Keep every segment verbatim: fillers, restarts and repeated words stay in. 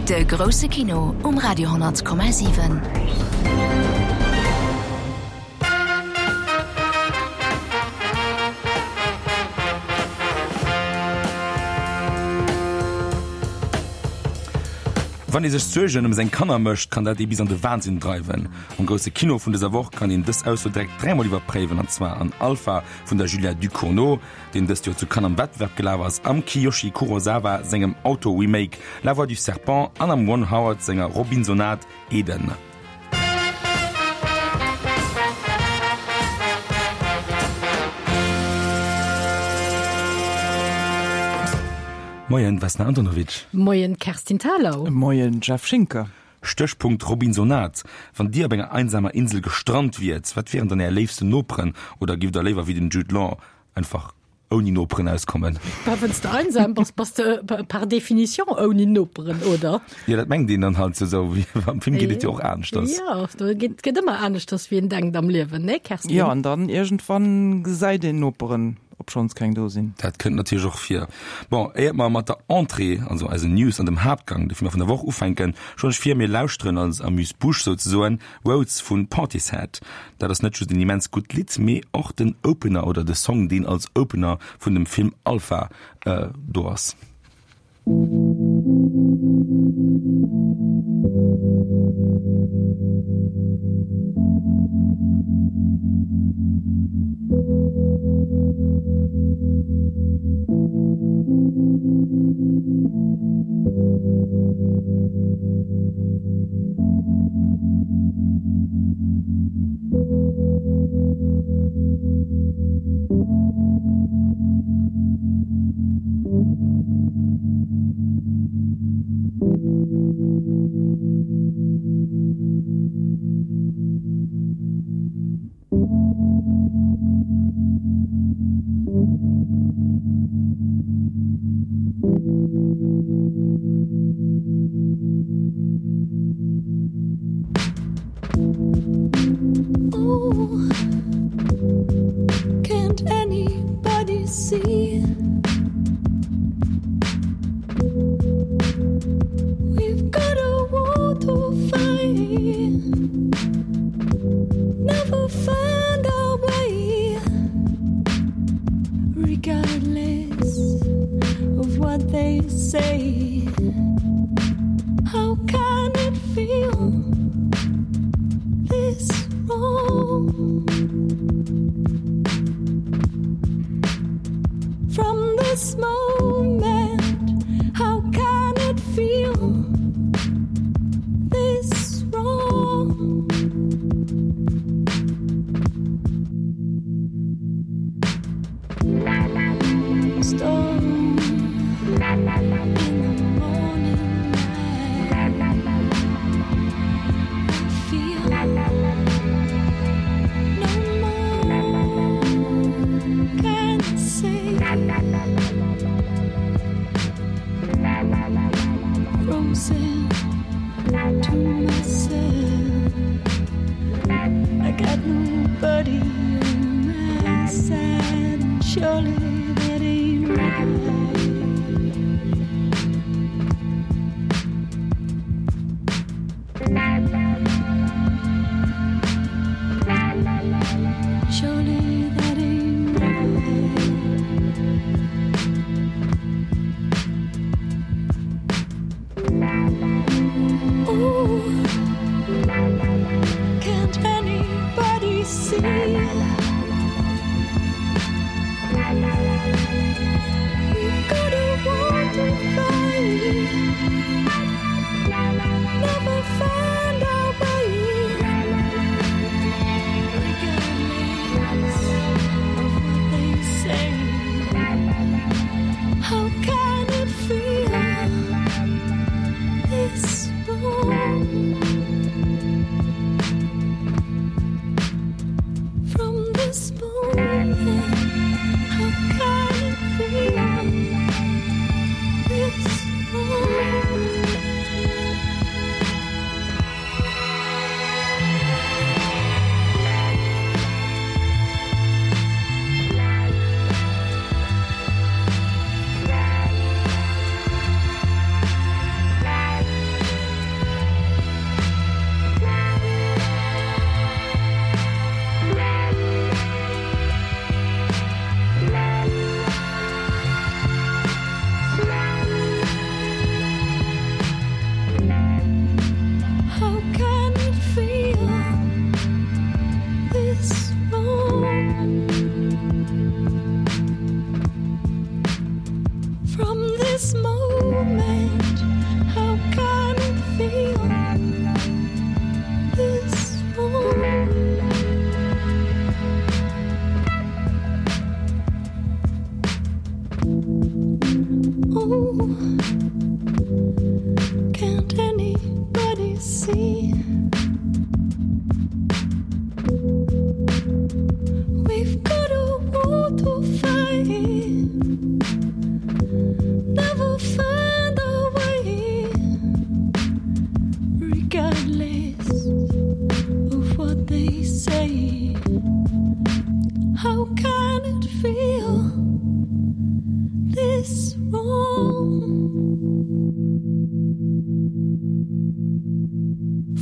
De grousse Kino um Radio honnert Komma siwen. Wann ee sech Suergen ëm seng Kanner mécht, kann dat ee bis an de Wahnsinn dreiwen. Am grousse Kino vun dëser Woch kann een dës Ausso direkt dräimol iwwerpréiwen, an zwar an Alpha vun der Julia Ducournau, deen dëst Joer zu Cannes am Wettbewerb gelaf ass, am Kiyoshi Kurosawa sengem Auto-Remake La Voix du Serpent an am Ron Howard senger Robinsonade Eden. Moien Vesna Antonovic. Moien Kerstin Thalau. Moien Jeff Schinker. Stéchpunkt Robinsonade. Wann Dir op enger einsamer Insel gestrant wiert, wat wieren dann Är léifsten Noperen oder giff Der léiwer wéi den Jude Law einfach ouni Noperen auskommen? Bah, wann s de einsam bass, bass de par définition ouni Noperen, oder? Jo, dat mengt een dann halt esou. Am Film geet et jo och aneschters. Jo, do geet, geet ëmmer aneschters, wéi een denkt am Liewen, ne Kerstin? Jo, an dann iergendwann gesäit een Noperen, obschonns keng do sinn. Dat kënnt natierlech och vir. Bon, éiert mer mat der Entrée, also eisen News an dem Haaptgang, de Filmer vun der Woch, ufänken, schloen ech vir, mir lauschteren als Amuse-Bouche souzesoen Roads vu Portishead. Dat ass net just en immens gutt Lidd, mee och den Opener oder de Song, deen als Opener vun dem Film Alpha do ass. Oh, can't anybody see? We've got a war to fight. Never find our way, regardless of what they say. How can it feel this wrong? From this moment, how can it feel this wrong? Storm in the morning light. I feel no more can say. Frozen to myself. I got nobody on my side, and surely that ain't right. Surely that ain't right. Ooh, can't anybody see? We've got a war to fight. Never find our way. Regardless of what they say. How can it feel this wrong? From this moment, how can it feel this wrong? Oh, can't anybody see? We've got a war to fight. Never find a way, regardless of what they say. How can it feel this wrong?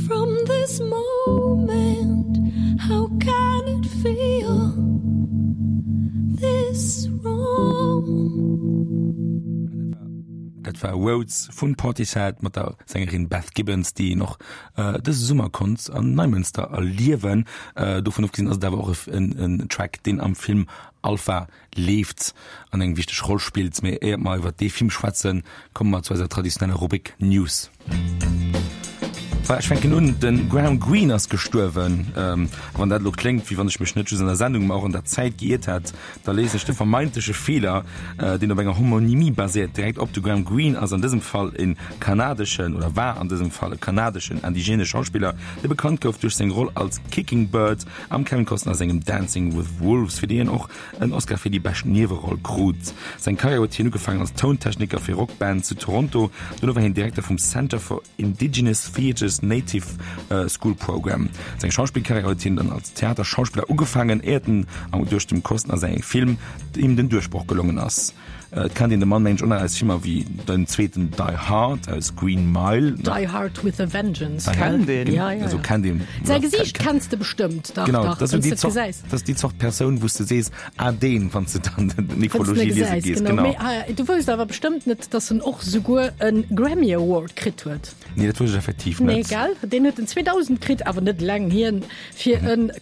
From this moment, how can it feel this wrong? Dat war Roads vun Portishead mat der Sängerin Beth Gibbons, déi een och dëse Summer konnt an Neimënster erliewen. Dovun ofgesinn ass et awer och en Track, deen am Film Alpha leeft an eng wichteg Roll spillt. Mee éiert mer iwwer dee Film schwätzen, komme mer zu eiser traditioneller Rubrik News. Voilà, ech fänken un, De Graham Greene ass gestuerwen. A wann dat elo kléngt, wéi wann ech mech net just an der Sendung, mä och an der Zäit geiert hätt, da léisen ech de vermeintleche Feeler, deen op enger Homonymie baséiert, direkt op. De Graham Greene ass an dësem Fall e kanadeschen, oder war an dësem Fall e kanadeschen indigene Schauspiller, dee bekannt gouf duerch seng Roll als Kicking Bird am Kevin Costner sengem Dancing with Wolves, fir déi hien och en Oscar fir déi bescht Nieweroll krut. Seng Karriär huet hien ugefaangen als Tountechniker fir Rockbands zu Toronto, dono war hien Direkter vum Centre for Indigenous Theatre's Native School Program. Seng Schauspillkarriär huet hien dann als Theaterschauspiller ugefaangen, éiert en duerch dem Costner säi Film him den Duerchbroch gelongen ass. Et kennt een de Mann mengen ech och nach aus Filmer wéi den zweeten Die Hard, aus Green Mile. Die Hard with a Vengeance. Kennt een. Ja, ja, Also ja. kennt een. Säi Gesiicht kenns de bestëmmt. Dach, Genau, dach, dat ass wann déi s de Zort, gesäis. dat ass déi Zort Persoun, wou s de sees, ah deen, wann s de dann Wann s de d'Nekrologie liese gesäis, gees. genau. Genau. Mee, ah, du wousst awer bestëmmt net, dass en och souguer e Grammy Award kritt huet. Nee, dat wousst ech effektiv Nee, net. gell? Deen huet en zweedausend kritt, awer net laang hier, fir Mhm. e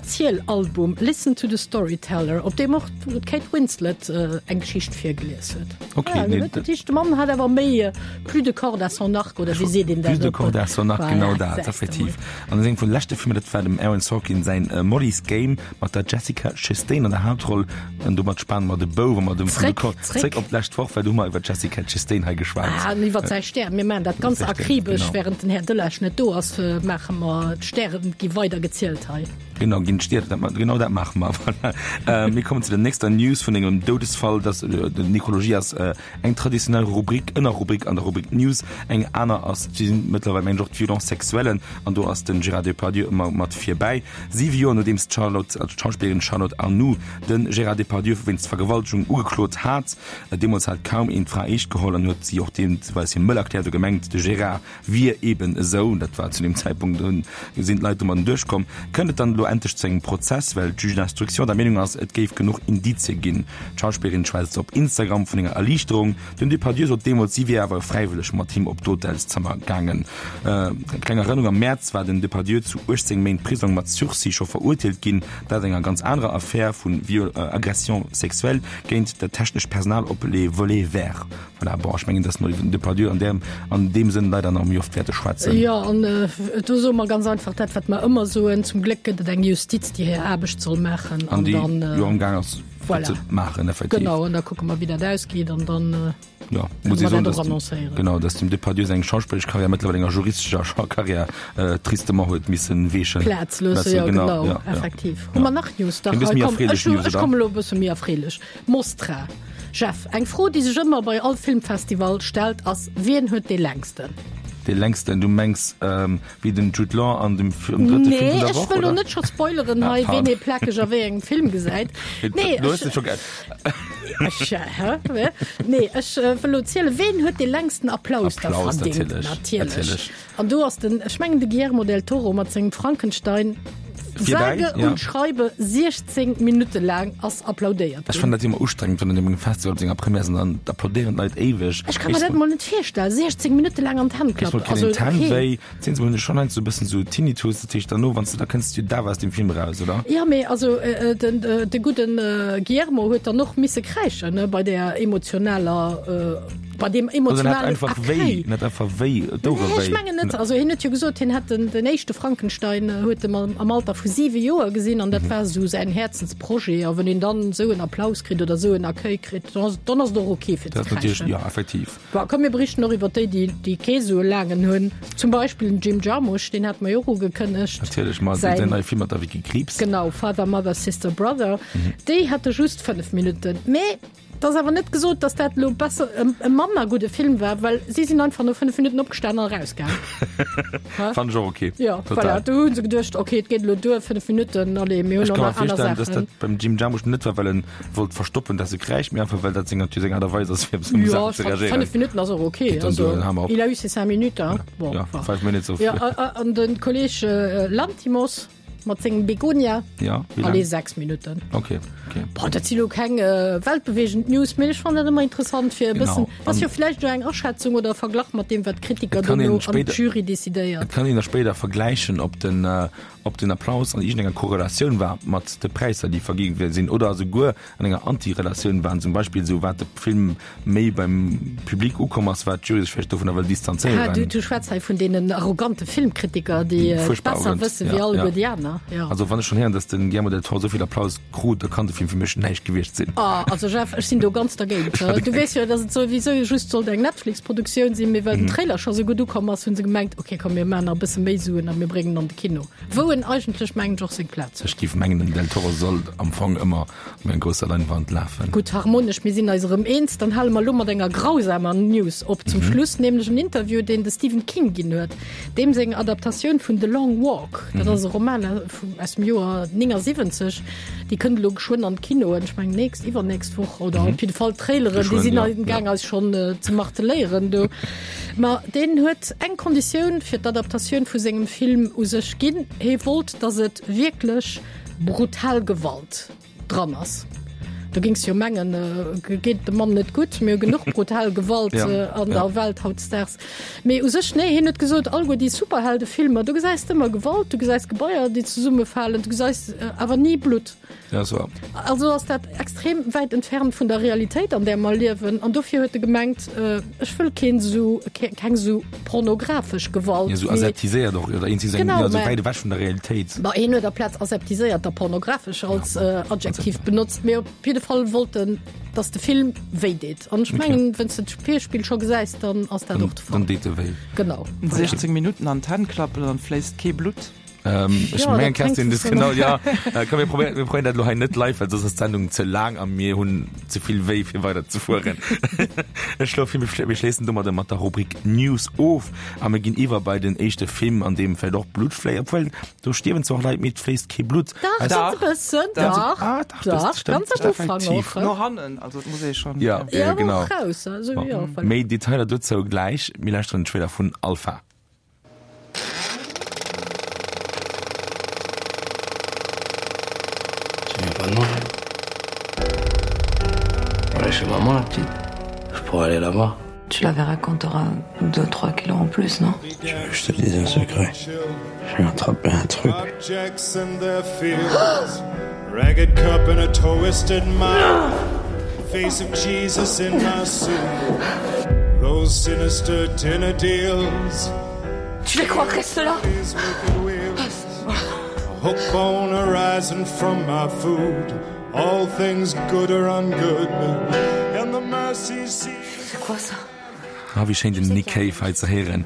Kannererziel-Album, Listen to the Storyteller, op deem och d'Kate Winslet eng Geschicht virgelies huet. Okay, Ja, nee, dat dat- heescht, de Mann hat awer méi plus de cordes à son arc, oder wéi seet een dat Plus de op? cordes à son arc, Voilà, genau dat, sächs de effektiv. mol. An sengem vun leschte Filmer, dat war dem Aaron Sorkin säin Molly's Game mat der Jessica Chastain an der Haaptroll. An domat spane mer de Bou, wa mer dem Zréck, Zréck, zréck. zréck op d'lescht Woch, well do hu mer iwwer d'Jessica Chastain hei geschwat. Ah, an iwwer säi Stär. Mir maachen dat ganz Säi Stär, akribesch, genau. während den Här Delage net do ass, maache mer d'Stären gi weider gezielt hei. Genau, ginn d'Stier, dat, genau dat maache mer. Voilà. Äh, mir kommen zu der nächster News vun engem Doudesfall, das, äh, den Nekrologie ass äh, eng traditionell Rubrik, Ënnerrubrik an der Rubrik News, eng aner ass, déi sinn mëttlerweil mengen ech och d'Violence sexuelle, an do ass den Gérard Depardieu ëmmer mat virbäi. Siwe Joer nodeems d'Charlotte, also d'Schauspillerin Charlotte Arnould den Gérard Depardieu wéinst Vergewaltegung ugeklot hat, äh, deemools hat kaum een d'Fra eescht geholl an huet si och deemweis hir mëll erkläert, huet gemengt, de Gérard wier eben esou, dat war zu dem Zäitpunkt, do sinn d'Leit domadden duerchkomm, kënnt et dann elo endlech zu engem Prozess, well d'Juge d'instruction der Meenung ass, et géif genuch Indizie ginn. D'Schauspillerin schwätzt op Instagram vun enger Erliichterung. Den Depardieu sot deemools, si wier awer fräiwëlleg mat him op d'Hotelszëmmer gaangen. Kleng Erënnerung, Am Mäerz war den Depardieu zu uechtzéng Méint Prisong mat Sursis scho verurteelt ginn, dat enger ganz anerer Affär vu Viol, Agression sexuelle géint dat technescht Personal op Les Volets Verts. Voilà, bon, ech mengen, dass mer iwwer den Depardieu an där, an deem Sënn leider nach méi oft wäerte schwätzen. Jo, an do soe mer ganz einfach dat, wat mer ëmmer soen, Zum Gléck gëtt et eng Justiz, déi hir Aarbecht soll maachen. An An déi dann, jo amgaang ass, voilà. ze maachen, effektiv. Genau, an da kucke mer, wéi dat ausgeet, an dann Ja, kënne muss mer ee soen, dat och dass dem, annoncéieren. genau, dass dem Depardieu seng schauspilleresch Karriär mëttlerweil enger juristescher Karriär äh, tristement huet missen weechen. Plaz loosse, Loosse, jo, genau, genau, ja, ja. effektiv. Ja. Hu mer nach News? Dach, Eng bësse hei, méi komm, erfreelech ech hu, News, ech oder? komme lo e bësse méi erfreelech. Mostra. Jeff, eng Fro, déi sech ëmmer bei all Filmfestival stellt, ass, Wien huet dee längsten? Dee längsten, du mengs ähm, wéi den Jude Law an dem Film, drëtte Nee, Film vun der ech Woch, wëll lo oder? net scho spoileren Ah, hei, wien pardon. ee plakeg a wéi engem Film gesäit. Nee, Du hues ech, et scho ge ech, hä? Nee, ech äh, wëll lo zielen, wien huet dee längsten Applaus da Applaus, verdingt? natierlech, Natierlech. natierlech. An do ass den, ech mengen de Guillermo del Toro mat sengem Frankenstein Virbäi, sage ja. und schreibe siechzéng Minutte laang ass applaudéiert Ech ginn. fannen dat ëmmer ustrengend, wann an engem Festival op senger Première sinn, dann applaudéieren d'Leit éiweg. Ech kann mir dat mol net virstellen, siechzéng Minutte laang an d'Hänn Ech klappen. wollt Also, keen d'Hänn okay. wéi, zehn Sekonnen schon heiansdo e bëssen sou Tinnitus, dat heescht derno, wann s du da kënns du da aus dem Film raus, oder? Ja, mee also äh, den, äh, de gudden äh, Guillermo huet dann och misse kräischen, ne, bei der emotionaler äh, Bei deem Also en hat emotionalen einfach wéi, Accueil. en hat einfach wéi, d'Ouere Nee, ech wéi. mengen net. Also hien huet jo gesot, hien hätt den, den éischte Frankenstein äh, huet em am, am Alter vu siwe Joer gesinn an dat war esou säin Häerzensprojet. A wann een dann esou en Applaus kritt oder esou en Accueil kritt, dann ass, dann ass et och okay fir ze Dat ass natierlech, kräischen. ja, effektiv. Bon, komm mir berichten och iwwer déi, déi, déi kee sou e laangen hunn. Zum Beispill den Jim Jarmusch, deen hat mer jo och ugekënnegt. Natierlech, ma Säin- säin neie Film mat der Vicky Krieps. Genau, Father, Mother, Sister, Brother. Déi hate just fënnef Minutten. Mee et ass awer net gesot, dass dat elo besser, e, e manner gudde Film war, well si sinn einfach no fënnef Minutten opgestan an erausgaang. Fand ech och okay. Ja, Total. voilà, do hu se geduecht, okay, et geet elo duer, fënnef Minutten, allez, mir hunn Ech och ka mer nach aner virstellen, dass Saachen. dat beim Jim Jarmusch net war, well en wollt verstoppen, dass e kräischt, mee einfach well dat seng Natur, seng Aart a Weis ass, fir op esou Ja, Saachen ech ze fand, reagéieren. fënnef Minutten ass och okay. Geet dann Also, duer, dann hale mer op. il a eu ses cinq minutes, hein. Bon, Ja, enfin. five minutes of. Ja, a, a, an den Kolleg äh, Lanthimos mat sengem Begonia, Ja, wéi laang? allez, sechs Minutten. Okay, okay. Boah, dat si lo keng äh, weltbewegend News, mee ech fannen dat ëmmer interessant fir e Genau. bëssen, dat ass jo An- vläicht jo eng Aschätzung oder e Verglach mat deem, wat d'Kritiker Et kann dono een an spéider- d'Jury decidéiert. Et kann een da spéider vergläichen, ob den, äh, ob den Applaus an iergendenger Korrelatioun war mat de Präisser, déi vergi gi sinn, oder esouguer an enger Antirelatioun waren, zum Beispill esou wat de Film méi beim Public ukomm ass, wat d'Jury sech vläicht dovunner wëll Ah, du, distanzéieren. du schwätz hei vun deenen arrogante Filmkritiker, déi Déi äh, furchtbar besser arrogant, wësse ja, wéi alleguer ja. déi aner. Ja. Also wann ech schonn héieren, dass den Guillermo del Toro esou vill Applaus krut, da kann de Film fir mech näischt gewiescht sinn. Ah, also Jeff, ech sinn do ganz dergéint. Du weess jo, dass et souwisou just sollt eng Netflix-Produktioun sinn, mee well den Trailer scho sou gutt ukomm ass, hunn se gemengt, okay, komm, mir maachen nach e bësse méi Suen a mir bréngen en an de Kino. Wou en eigentlech, mengen ech, och seng Plaz huet. Ech géif mengen, den Del Toro sollt am Fong ëmmer op enger grousser Leinwand lafen. Gutt, harmonesch, mir sinn eis erëm eens. Dann hale mer elo mat enger grausamer News op zum Schluss, nämlech en Interview, deen de Stephen King ginn huet. Deem seng Adaptatioun vun The Long Walk, dat ass e Roman aus dem Joer néngasiwwenzeg, déi kënnt elo geschwënn an d'Kinoen, ech mengen nächst, iwwernächst Woch oder op jidde Fall d'Traileren, déi Geschwënn, sinn ja, am Gaang ja. eis schonn ze marteléieren do. Ma deen huet eng Konditioun fir d'Adaptatioun vu sengem Film u sech ginn, Hie wollt, dass et wierklech brutal Gewalt dran ass. Do géings jo mengen, geet dem Mann net gutt, mir hu genuch brutal Gewalt Ja, an ja. der Welt hautdesdaags. Mee u sech, nee, hien huet gesot, alleguer déi Superheldefilmer, do gesäis de ëmmer Gewalt, du gesäis Gebaier, déi zesummefalen, du gesäis awer ni Blutt. Ja, so. Also ass dat extrem wäit entfernt vun der Realitéit, an där mer liewen. An dofir huet e gemengt, ech wëll keen esou, keng esou pornografesch Gewalt. Ja, esou aseptiséiert och, oder iergendwéi esou eng, Genau, ja, esou mä wäit ewech vun der Realitéit. Ma hien huet aplaz aseptiséiert da pornografesch als Adjektiv benotzt. Mee op jidde Fall wollt en, dass de Film wéi deet. An ech mengen, wann s de d'Virspill scho gesäis, dann ass dat och de Fall. Dann deet e wéi. Genau. sechzéng Minutten an d'Hänn klappen, dann fléisst kee Blutt. Ähm, ech Ja, mengen, dat Kerstin, fänkt das so genau, an. ja. Äh, komm, mir probéieren, mir probéieren dat lo hei net live, well soss ass d'Sendung ze laang a mir hunn ze vill wéi fir weider ze fueren. Ech schloe vir, mir schlé-, mir schléissen domadder mat der Rubrik News of a mir ginn iwwer bei den éischte Film, an deem vläicht och Blutt fléi-, obwuel, do stierwen zwar och Leit, mee et fléisst kee Blutt. Dach, Also, ganz e bëssen, Dach. dach, Ah, dach, das dach, stimmt, ganz am Ufank effektiv. och, No hannen, also et muss ee schonn, Ja, ja. ja, Ja, genau. och raus, also, ja, Bon. voilà. Méi Detailer dozou gläich, mir lauschteren den Trailer vun Alpha. Tu viens pas de moi? On est chez maman, la petite. Je pourrais aller là-bas. Tu la verras quand t'auras deux, trois kilos en plus, non? Tu veux que je te dise un secret? J'ai attrapé un truc. Objects and their fears. Ragged cup and a twisted mouth. Face of Jesus in my suit. Those sinister dinner deals. Tu les crois restent là? These wicked wheels. A hook bone arising from my food. All things good or ungood. And the mercy seat. C'est quoi ça? Ah, wéi schéin den Nick Cave hei ze héieren.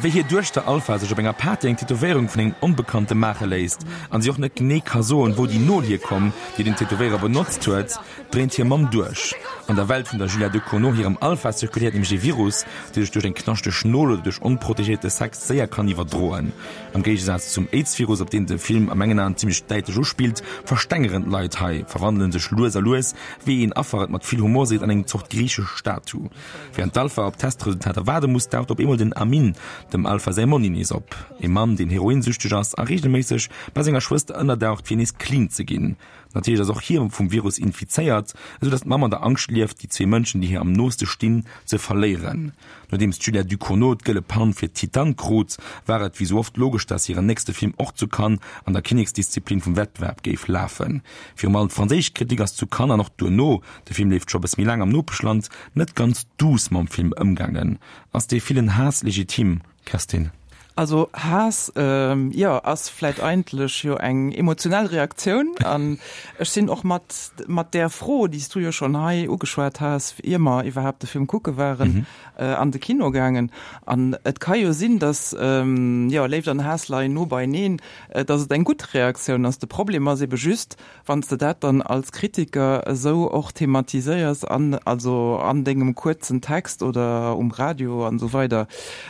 Wéi hir Duechter Alpha sech op enger Party eng Tätowéierung vun engem Onbekannte maache léisst an si och net genee ka soen, wou déi Nol hierkomm, déi den Tätowéierer benotzt huet, dréint hir Mamm duerch. An der Welt vun der Julia Ducournau hirem Alpha zirkuléiert nämlech e Virus, dee sech duerch eng knaschteg Nol oder duerch onprotegéierte Sex séier kann iwwerdroen. Am Géigesaz zum Aids-Virus, op deen de Film a mengen Aen zimmlech däitlech uspillt, verstengeren d'Leit hei, verwandele sech lues a lues, wéi een Affer et mat vill Humor seet, an eng Zort griichesch Statu. Wärend d'Alpha op Testresultater waarde muss, daucht op eemol den Amin, dem Alpha säi Monni, nees op. E Mann, deen heroinsüchteg ass a reegelméisseg bei senger Schwëster ënnerdaucht, fir nees clean ze ginn. Natierlech ass och hie vum Virus infizéiert, esou datt d'Mamm an der Angscht lieft, déi zwee Mënschen, déi hir am nooste stinn, ze verléieren. Nodeems d'Julia Ducournau d'Gëlle Palm fir Titane krut, war et wéi sou oft logesch, datt hiren nächste Film och zu Cannes an der Kinneksdisziplin vum Wettbewerb géif lafen. Virum allem d'franséisch Kritik ass zu Cannes an och duerno, de Film leeft scho bësse méi laang am Nopeschland, net ganz duuss mam Film ëmgaangen. Ass dee villen Haass legitim, Kerstin? Also Haass, jo, ass vläit eigentlech jo eng emotionell Reaktioun. An ech sinn och mat mat där Fro, déi s du jo schonn hei ugeschwat has, ier mer iwwerhaapt de Film kucke waren, an de Kino gaangen. An et ka jo sinn, datt, jo, Léift an Haass leien no beieneen, datt et eng gutt Reaktioun ass. De Problem ass ebe just, Wann s de dat dann als Kritiker esou och thematiséiers an also an dengem kuerzen Text oder um Radio an esou weider,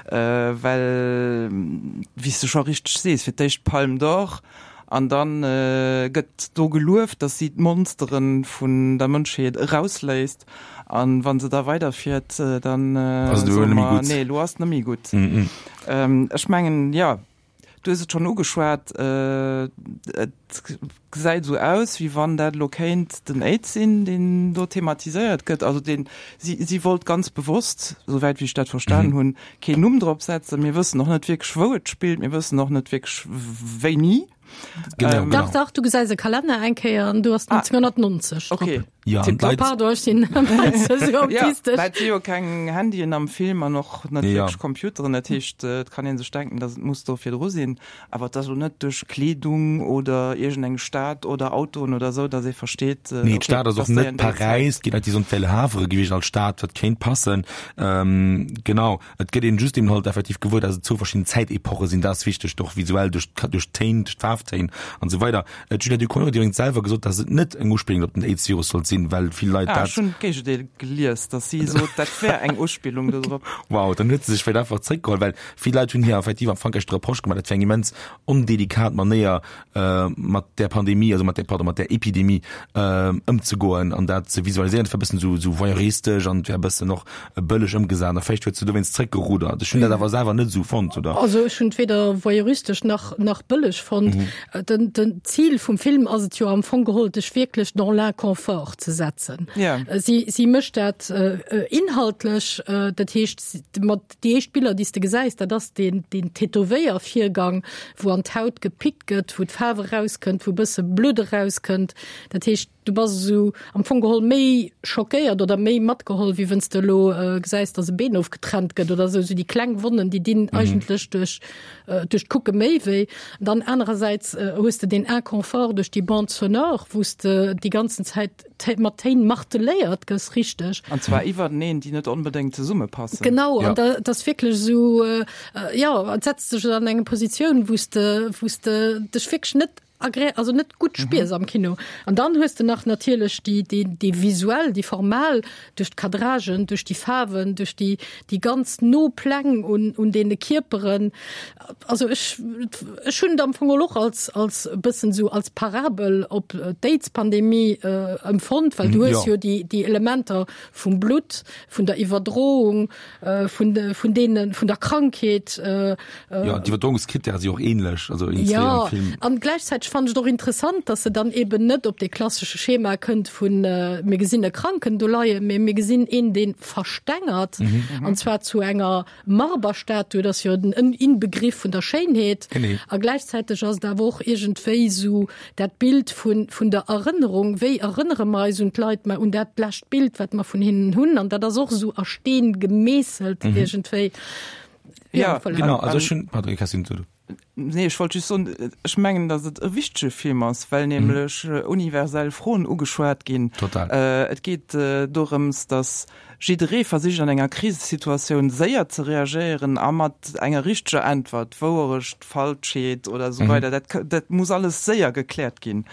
well, wéi s de scho richteg sees, fir d'éischt d'Palme d'Or an da gëtt do gelueft, datt si d'Monstere vun der Mënschheet erausléisst an wa se da weiderfiert, dann soe mer, nee, elo ass et net méi gutt. Ech mengen, jo. Du hues et schonn ugeschwat, et gesäit esou aus, wéi wann dat elo kéint den Aids sinn, deen do thematiséiert gëtt. Also deen, si, si wollt ganz bewosst, souwäit wéi ech dat verstanen hunn, keen Numm drop setzen. Mir wëssen och net wierklech, wou et spillt. Mir wëssen och net wierklech, wéini. Genau, genau. Dach, dach, du gesäis e Kalenner eng Kéier an du hast neunzehnhundertneunzeg drop. Okay. Ja, an Tipptopp. d'Leit. Pardon, ech sinn esou autistesch. Ja, et si jo keng Handyen am Film an och net Ja. wierklech Computeren. Dat heescht, et kann ee sech denken, datt et muss do virdru sinn. Awer et ass elo net duerch Kleedung oder iergendeng Stad oder Autoen oder esou, datt ee versteet, Nee, okay, d'Stad ass och dass déi net an déi Zäit. Paräis, et ginn déi soen, et wär Le Havre gewiescht als Stad, wat kéint passen. Ähm, genau, et gëtt een just eben halt effektiv gewuer, datt et zwou verschidden Zäitepoche sinn. Dat ass wichteg, och visuell duerch duerch d'Téin, duerch d'Faarftéin an esou weider. D'Julia Ducournau huet iwwregens selwer gesot, datt et net eng Uspillung op den Aids-Virus sollt sinn, well vill Leit Ah, dat. ech hunn d'Géigendeel gelies, datt si sot, dat wär eng Uspillung dodrop. Wow, dann huet se sech vläicht einfach zréckgeholl, well vill Leit hunn hir effektiv am Frankräich de Reproche gemaach, dat wär eng immens ondelikat Manéier, mat där Pandemie, also mat där, pardon, mat där Epidemie ëmzegoen an dat ze visualiséieren. Dat wär e bëssen esou, esou voyeuristesch an et wär e bëssen och bëlleg ëmgesat. A vläicht huet se dowéinst zréckgerudert. Ech hunn dat awer selwer net esou fonnt, oder? Also ech hunn et weder voyeuristesch nach, nach bëlleg fonnt. Den, den Zil vum Film ass et jo am Fong geholl, dech wierklech dans l'inconfort ze setzen. Ja. Si, si mécht dat inhaltlech, dat heescht, mat déi éischt Biller, déi s de gesäis, dat ass deen, deen Tätowéiervirgang, wou an d'Haut gepickt gëtt, wou d'Faarf erauskënnt, wou e bësse Blutt erauskënnt. Dat heescht, du bass esou am Fong geholl méi schockéiert oder méi matgeholl, wéi wenn's de elo gesäis, dass e Been ofgetrennt gëtt oder esou. Esou déi kleng Wonnen, déi dinn eigentlech duerch, duerch d'Kucke méi wéi. Dann anerersäits hues de deen Inconfort duerch déi Bande sonore, wou s de déi ganzen Zäit mat Téin marteléiert gëss, richteg. An zwar iwwerteneen, déi net onbedéngt zesummepassen. Genau, Ja. an da, dat ass wierklech esou, jo, et setzt dech an eng Positioun, wou s de, wou s de dech wierklech net agré-, also net gutt spiers am Kino. An dann hues de nach natierlech déi, déi, déi visuell, déi formal, duerch d'Cadragen, duerch déi Faarwen, duerch déi, déi ganz no Pläng un, un deene Kierperen. Also ech, ech hunn et am Fong och als, als e bëssen esou als Parabel op d'Aids-Pandemie empfonnt, well du hues jo déi, déi Elementer vum Blutt, vun der Iwwerdroung, vun de, vun deene, vun der Krankheet. Jo, d'Iwwerdroungskrittäre si och ähnlech, also in Jo, Film. an gläichzäiteg fannen ech et och interessant, dass se dann eben net op dee klassesche Schema kënnt vun mir gesinn e Kranken do leien, mee mir gesinn een, dee verstengert, an zwar zu enger Marberstatue, dat ass jo den Inbegriff vun der Schéinheet. Genee. A gläichzäiteg ass et awer och iergendwéi esou dat Bild vun, vun der Erënnerung, wéi erënnere mer eis un d'Leit, mä un dat lescht Bild, wat mer vun hinnen hunn, an dat ass och esou a Steen gemeesselt iergendwéi. Ja, voilà. Genau, also ech hunn, pardon, Kerstin, du. Nee, ech wollt just soen, ech mengen, datt et e wichtege Film ass, well nämlech universell Froen ugeschwat ginn. Total. Et geet dorëms, datt jidderee versicht an enger Krisesituatioun séier ze reagéieren a mat enger richteger Äntwert, Wouerecht, Falschheet oder esou weider, dat, dat muss alles séier gekläert ginn.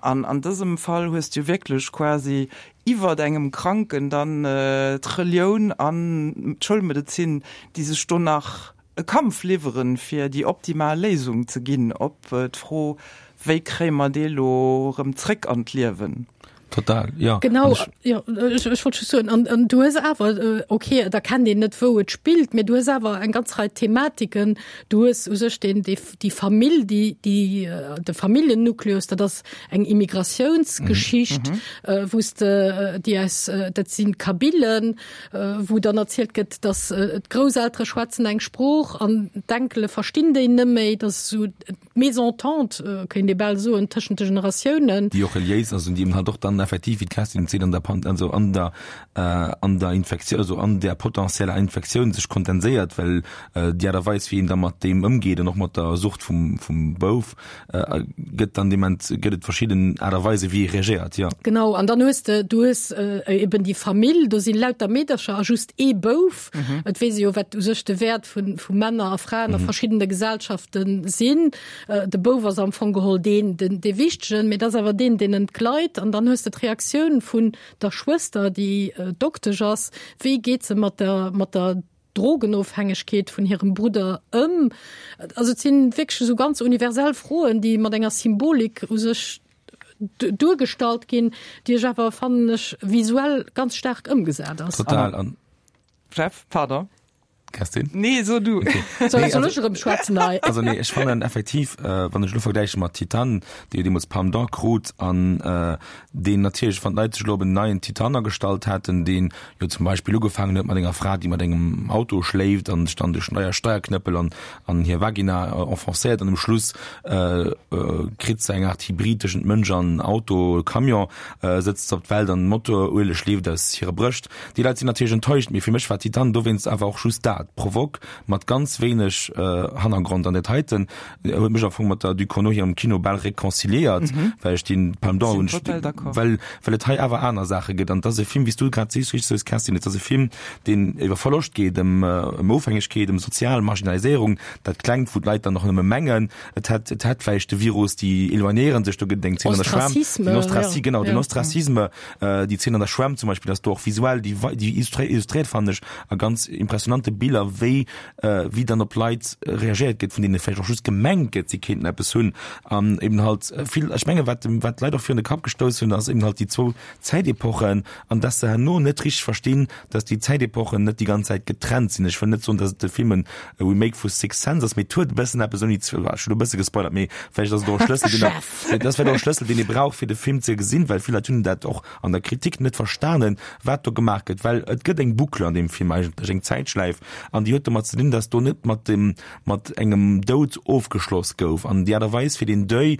An an dësem Fall hues du wierklech quasi iwwert engem Kranken dann d'Relioun an d'Schoulmedezin, déi sech do nach e Kampf liwweren, fir déi optimal Léisung ze ginn op d'Fro, Wéi kréie mer dee lo erëm zréck an d'Liewen? Total, ja. Genau, ja, ech, ech wollt just soen, an, an du hues awer, äh, okay, da kennt een net wou et spillt, mee du hues awer eng ganz Rei Thematiken, du hues u sech den, déi, déi Famill, déi, déi, äh, de Familljennukleus, dat ass eng Immigratiounsgeschicht, mhm. äh, wou s de, äh, déi aus, äh, dat sinn Kabylen, äh, wou dann erzielt gëtt, dass äh, d'Grousseltere schwätzen eng Sprooch an d'Enkele verstinn déi net méi, dat ass sou d'Mésentente, kéint ee bal soen, tëschent de Generatiounen. Déi och reliéis ass an déi eben halt och dann effektiv, wéi d'Kerstin et seet, an der Pan-, also an der, an der Infektioun, also an der potentieller Infektioun sech kondenséiert, well déi Aart a Weis, wéi een da mat deem ëmgeet an och mat der Sucht vum, vum Bouf, gëtt dann dement, gëtt et verschidden Aart a Weisen, wéi ee reagéiert, jo. Genau, an dann hues de, du hues eben déi Famill, do si lauter Meedercher a just ee Bouf. Et weess ee jo, wat u sech de Wäert vu, vu Männer a Fraen a verschiddene Gesellschafte sinn. De Bouf ass am Fong geholl deen, den, dee Wichtegen, mee et ass awer deen, deen entgleit. An dann hues de d'Reaktioun vun der Schwëster, déi Doktesch ass, wéi geet se mat der, mat der Drogenofhängegkeet vun hirem Brudder ëm? Also et sinn wierklech esou ganz universell Froen, déi mat enger Symbolik u sech duergestallt ginn, déi ech awer, fannen ech, visuell ganz staark ëmgesat ass. Total. An Jeff, pardon. Kerstin? Nee, so du. Okay. Soll, Nee, soll also, ech erëm schwätzen hei? also nee, ech fannen effektiv, äh, wann ech elo vergläiche mat Titane, dee jo deemools Palme d'Or krut an äh, deen natierlech, wann d'Leit sech elo op en neien Titane agestallt hätten, deen jo zum Beispill ugefaangen huet mat enger Fra, déi mat engem Auto schléift an sech dann duerch neier Steierknëppel an, an hir Vagina äh, enfoncéiert an um Schluss äh, äh, kritt se eng Art Hybrid tëschent Mënsch an Auto, Camion, äh, sëtzt se op d'Welt an Motorueleg leeft aus hire Brëscht. Déi Leit sinn natierlech enttäuscht, mee fir mech war Titane dowéinst awer och just dat, Provoque mat ganz wéineg Hannergrond. An dat heiten huet mech am Fong mat der Ducournau hirem Kino bal réconciliéiert, well ech deen Palme d'Or hunn, well well et hei awer aner Saache gëtt. An et ass e Film, wéi s du grad sees, richteg soos, Kerstin, et ass e Film, deen iwwer Verloscht geet, ëm ëm Ofhängegkeet, ëm sozial Marginaliséierung, dat Klengt, wou d'Leit dann och nëmme mengen, et hätt et hätt vläicht de Virus, déi éloignéiere sech, do gëtt et eng Zeen an der Schwämm, den Ostraci, genau, den Ostracisme, déi Zeen an der Schwämm zum Beispill ass do och visuell, déi déi illustréiert, fannen ech, a ganz impressionante Biller, wéi wéi dann op Leit reagéiert gëtt, vun deene vläicht och just gemengt gëtt, si kéinten eppes hunn. An eben halt vill, ech menge wat dem wat d'Leit och virun de Kapp gestouss hunn, ass eben halt déi zwou Zäitepochen an dass se herno net richteg verstinn, dass déi Zäitepochen net déi ganz Zäit getrennt sinn. Ech wëll net soen, dass et de Film en Remake vu Sixth Sense ass, mee et huet e bëssen eppes ouni ze, ech hunn e bësse gespoilert, mee vläicht ass et och e Schlëssel, deen der, dat ass vläicht och e Schlëssel, deen ee brauch, fir de Film ze gesinn, well vill Leit hunn dat och an der Kritik net verstanen, wat do gemaach gëtt, well et gëtt eng Boucle an deem Film eigentlech, eng Zäitschläif, an déi huet domat ze dinn, dass do net mat dem, mat engem Doud ofgeschloss gouf an déi Aart a Weis fir den Deuil,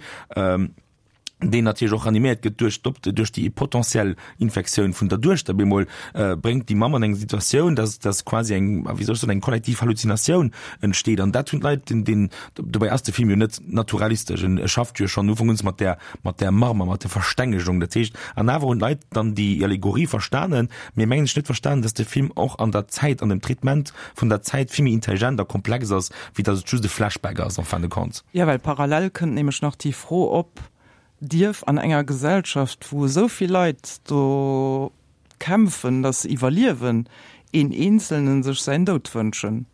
deen natierlech och animéiert gëtt duerch d'Op, duerch déi potentiell Infektioun vun der Duechter, bemol bréngt déi Mamm an eng Situatioun, dass, dass quasi eng, wéi soll ech soen, eng kollektiv Halluzinatioun entsteet an dat hunn d'Leit, den, den, dobäi ass de Film jo net naturalistesch, en schafft jo schonn Ufank un mat där, mat där Marmer, mat der Verstengegung, dat heescht, an awer hunn d'Leit dann déi Allegorie verstanen, mee mengen ech net verstanen, dass de Film och an der Zäit, an dem Traitement vun der Zäit vill méi intelligent a komplex ass, wéi dass et just e Flashback ass en fin de compte. Jo, well parallel kënnt nämlech nach déi Fro op, Dierf an enger Gesellschaft, wou esou vill Leit do kämpfen, dass se iwwerliewen, een Eenzelnen sech säin Doud wënschen?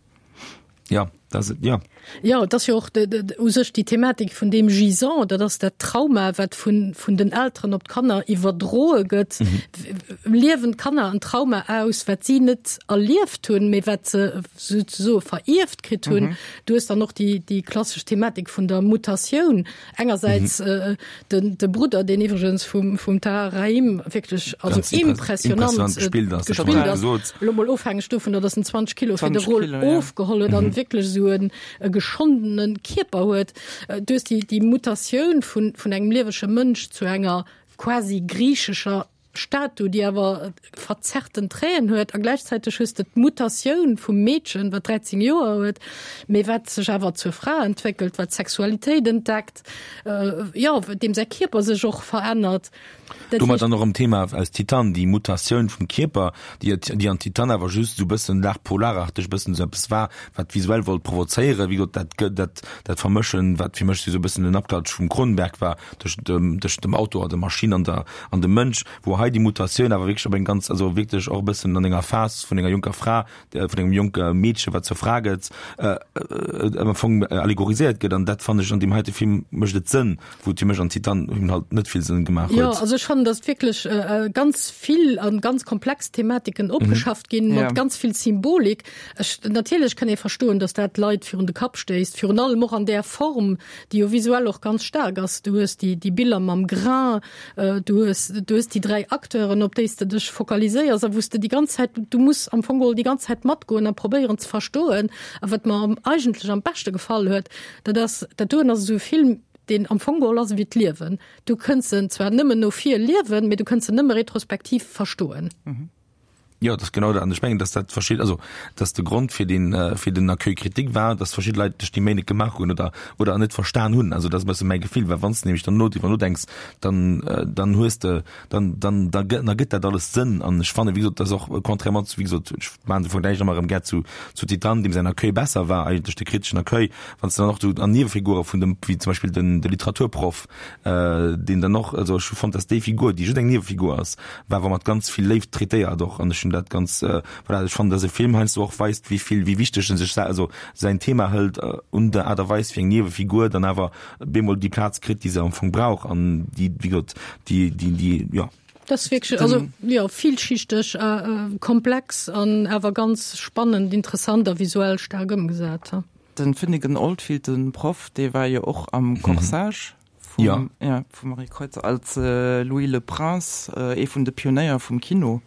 Jo, dat ass et, jo. Jo, et ass jo och u sech déi Thematik vun deem Gisant, dat ass dat Trauma, wat vun, vun den Elteren op d'Kanner iwwerdroe gëtt. Liewen d'Kanner en Trauma aus, wat si net erlieft hunn, mee wat se souzesoe verierft kritt hunn. Du hues dann och déi, déi klassesch Thematik vun der Mutatioun. Engersäits den, de Brudder, deen iwwregens vum, vum Tahar Rahim wierklech, also impressionant gespillt ass, elo mol ofhängeg dovunner, datt en zwanzeg Kilo fir de Rôle ofgeholl huet an wierklech esou en e geschondene Kierper huet. Du hues déi, déi Mutatioun vun, vun engem liewege Mënsch zu enger quasi griichescher Statu, déi awer verzerrten Traiten huet, a gläichzäiteg hues de d'Mutatioun vum Meedchen, wat dräizéng Joer huet, mee wat sech awer zur Fra entwéckelt, wat d'Sexualitéit entdeckt, jo, deem säi Kierper sech och verännert. Dat Domat dann och erëm Thema aus Titane, déi Mutatioun vum Kierper, déi, déi an Titane awer just esou e bëssen l'art polararteg e bëssen esou eppes war, wat visuell wollt provozéieren. Wéi gesot, dat gëtt, dat, dat Vermëschen, wat fir mech esou e bëssen en Abklatsch vum Cronenberg war, tëschent dem, tëschent dem Auto an der Maschinn an der, an dem Mënsch, wou hei déi Mutatioun awer wierklech op eng ganz, also wierklech och e bëssen an enger Phas vun enger jonker Fra, vun engem jonke Meedche, wat zur Fra gëtt, am Fong allegoriséiert gëtt. An dat fannen ech an deem heite Film mécht et Sënn, wou et fir mech an Titane eben halt net vill Sënn gemaach Jo, huet. also ech fannen, dass wierklech ganz vill an ganz komplex Thematiken opgeschafft ginn, mat ganz vill Symbolik. Ech, natierlech kann ee verstoen, dass dat d'Leit virun de Kapp stéisst, virun allem och an där Form, déi jo visuell och ganz staark ass. Du hues déi, déi Biller mam Grain, du hues, du hues déi dräi Acteuren, op déi s de dech fokaliséiers a wou s de déi ganz Zäit, du muss am Fong geholl déi ganz Zäit matgoen a probéieren ze verstoen. A wat mer eigentlech am beschte gefall huet, dat ass, dat doen ass esou e Film, deen am Fong geholl ass ewéi d'Liewen. Du kënns en zwar nëmmen no vir liewen, mee du kënns en nëmme retrospektiv verstoen. Jo, dat ass genau dat. An ech mengen, dass dat verschidde, also dass de Grond fir den, fir den Accueil critique war, dass verschidde Leit sech déi Méi net gemaach hunn oder, oder net verstan hunn. Also dat ass e bësse mäi Gefill, well wann s de nämlech dann no driwwer nodenks, dann, dann hues de, dann, dann, da gëtt, da gëtt dat alles Sënn. An ech fannen, wéi gesot, dass och contrairement zu, wéi gesot, ech maachen de Vergläich ëmmer erëm gär zu, zu Titane, deem säin Accueil besser war eigentlech, de kriteschen Accueil, wann s de dann och do an Niewefigure vun dem, wéi zum Beispill den, de Literaturproff, deen dann och, also ech hu fonnt, dass déi Figur, déi just eng Niewefigur ass, war awer mat ganz vill Léift traitéiert och an ech hunn dat ganz, voilà, ech fannen, dass e Film heiansdo och weist, wéi vill, wéi wichteg en sech, also säin Thema hëlt un der Aart a Weis, wéi eng Niewefigur dann awer bemol déi Plaz kritt, déi se am Fong brauch an déi, wéi gesot, déi, déi, déi, jo. Dat ass wierklech, also jo, villschichteg, komplex an awer ganz spannend, interessant a visuell staark ëmgesat. Den Finnegan Oldfield, den Proff, dee war jo och am Corsage vum, ja. Ja, vum Marie Kreutzer als Louis Le Prince, ee vun de Pionéier vum Kino.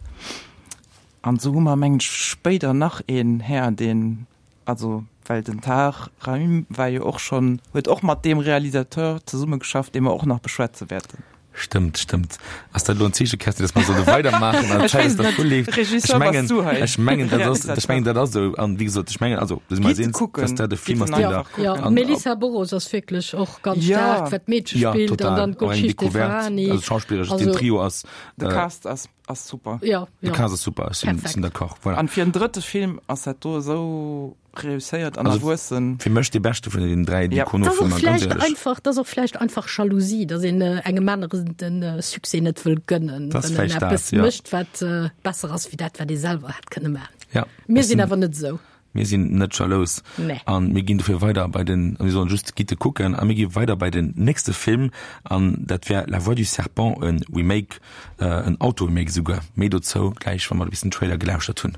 An esou hu mer, mengen ech, spéider nach een Här, deen, also well den Tahar Rahim war jo och schonn, huet och mat deem Realisateur zesummegeschafft, dee mer och nach beschwätze wäerten. Stëmmt, stëmmt. Ass dat elo en Zeeche, Kerstin, dass mer solle weidermaachen an d'Zäit ass dervu leeft? Ech mengen, ech mengen, dat ass, ech mengen, dat ass esou. An wéi gesot, ech mengen, also, do si mer eis eens, dass dat e Film ass, deen der. Jo, d'Melissa Boros ass wierklech och ganz staark, wat d'Meedche spillt, an dann d'Golshifteh Farahani. Also schauspilleresch, den Trio ass. De Cast ass, ass super. Jo, jo. De Cast ass super, ech sinn, sinn d'accord, voilà. An fir en drëtte Film ass dat do esou reusséiert an erwuessen. Fir mech dee beschte vun den dräi Ducournau-Filmer, ganz éierlech. Einfach, dat ass och vläicht einfach Jalousie, datt een engem aneren de Succès net wëll gënnen, wann en eppes mécht, wat besser ass wéi dat, wat ee selwer hätt kënne maachen. Ja. Mir sinn awer net esou. Mir sinn net jalous. Nee. An mir ginn dofir weider bei den, a mir soen just, gitt e kucken. A mir gi weider bei den nächste Film, an dat wär La voix du serpent, e Remake, en Auto-Remake esouguer. Méi dozou gläich, wa mer e bissen Trailer gelauschtert hunn.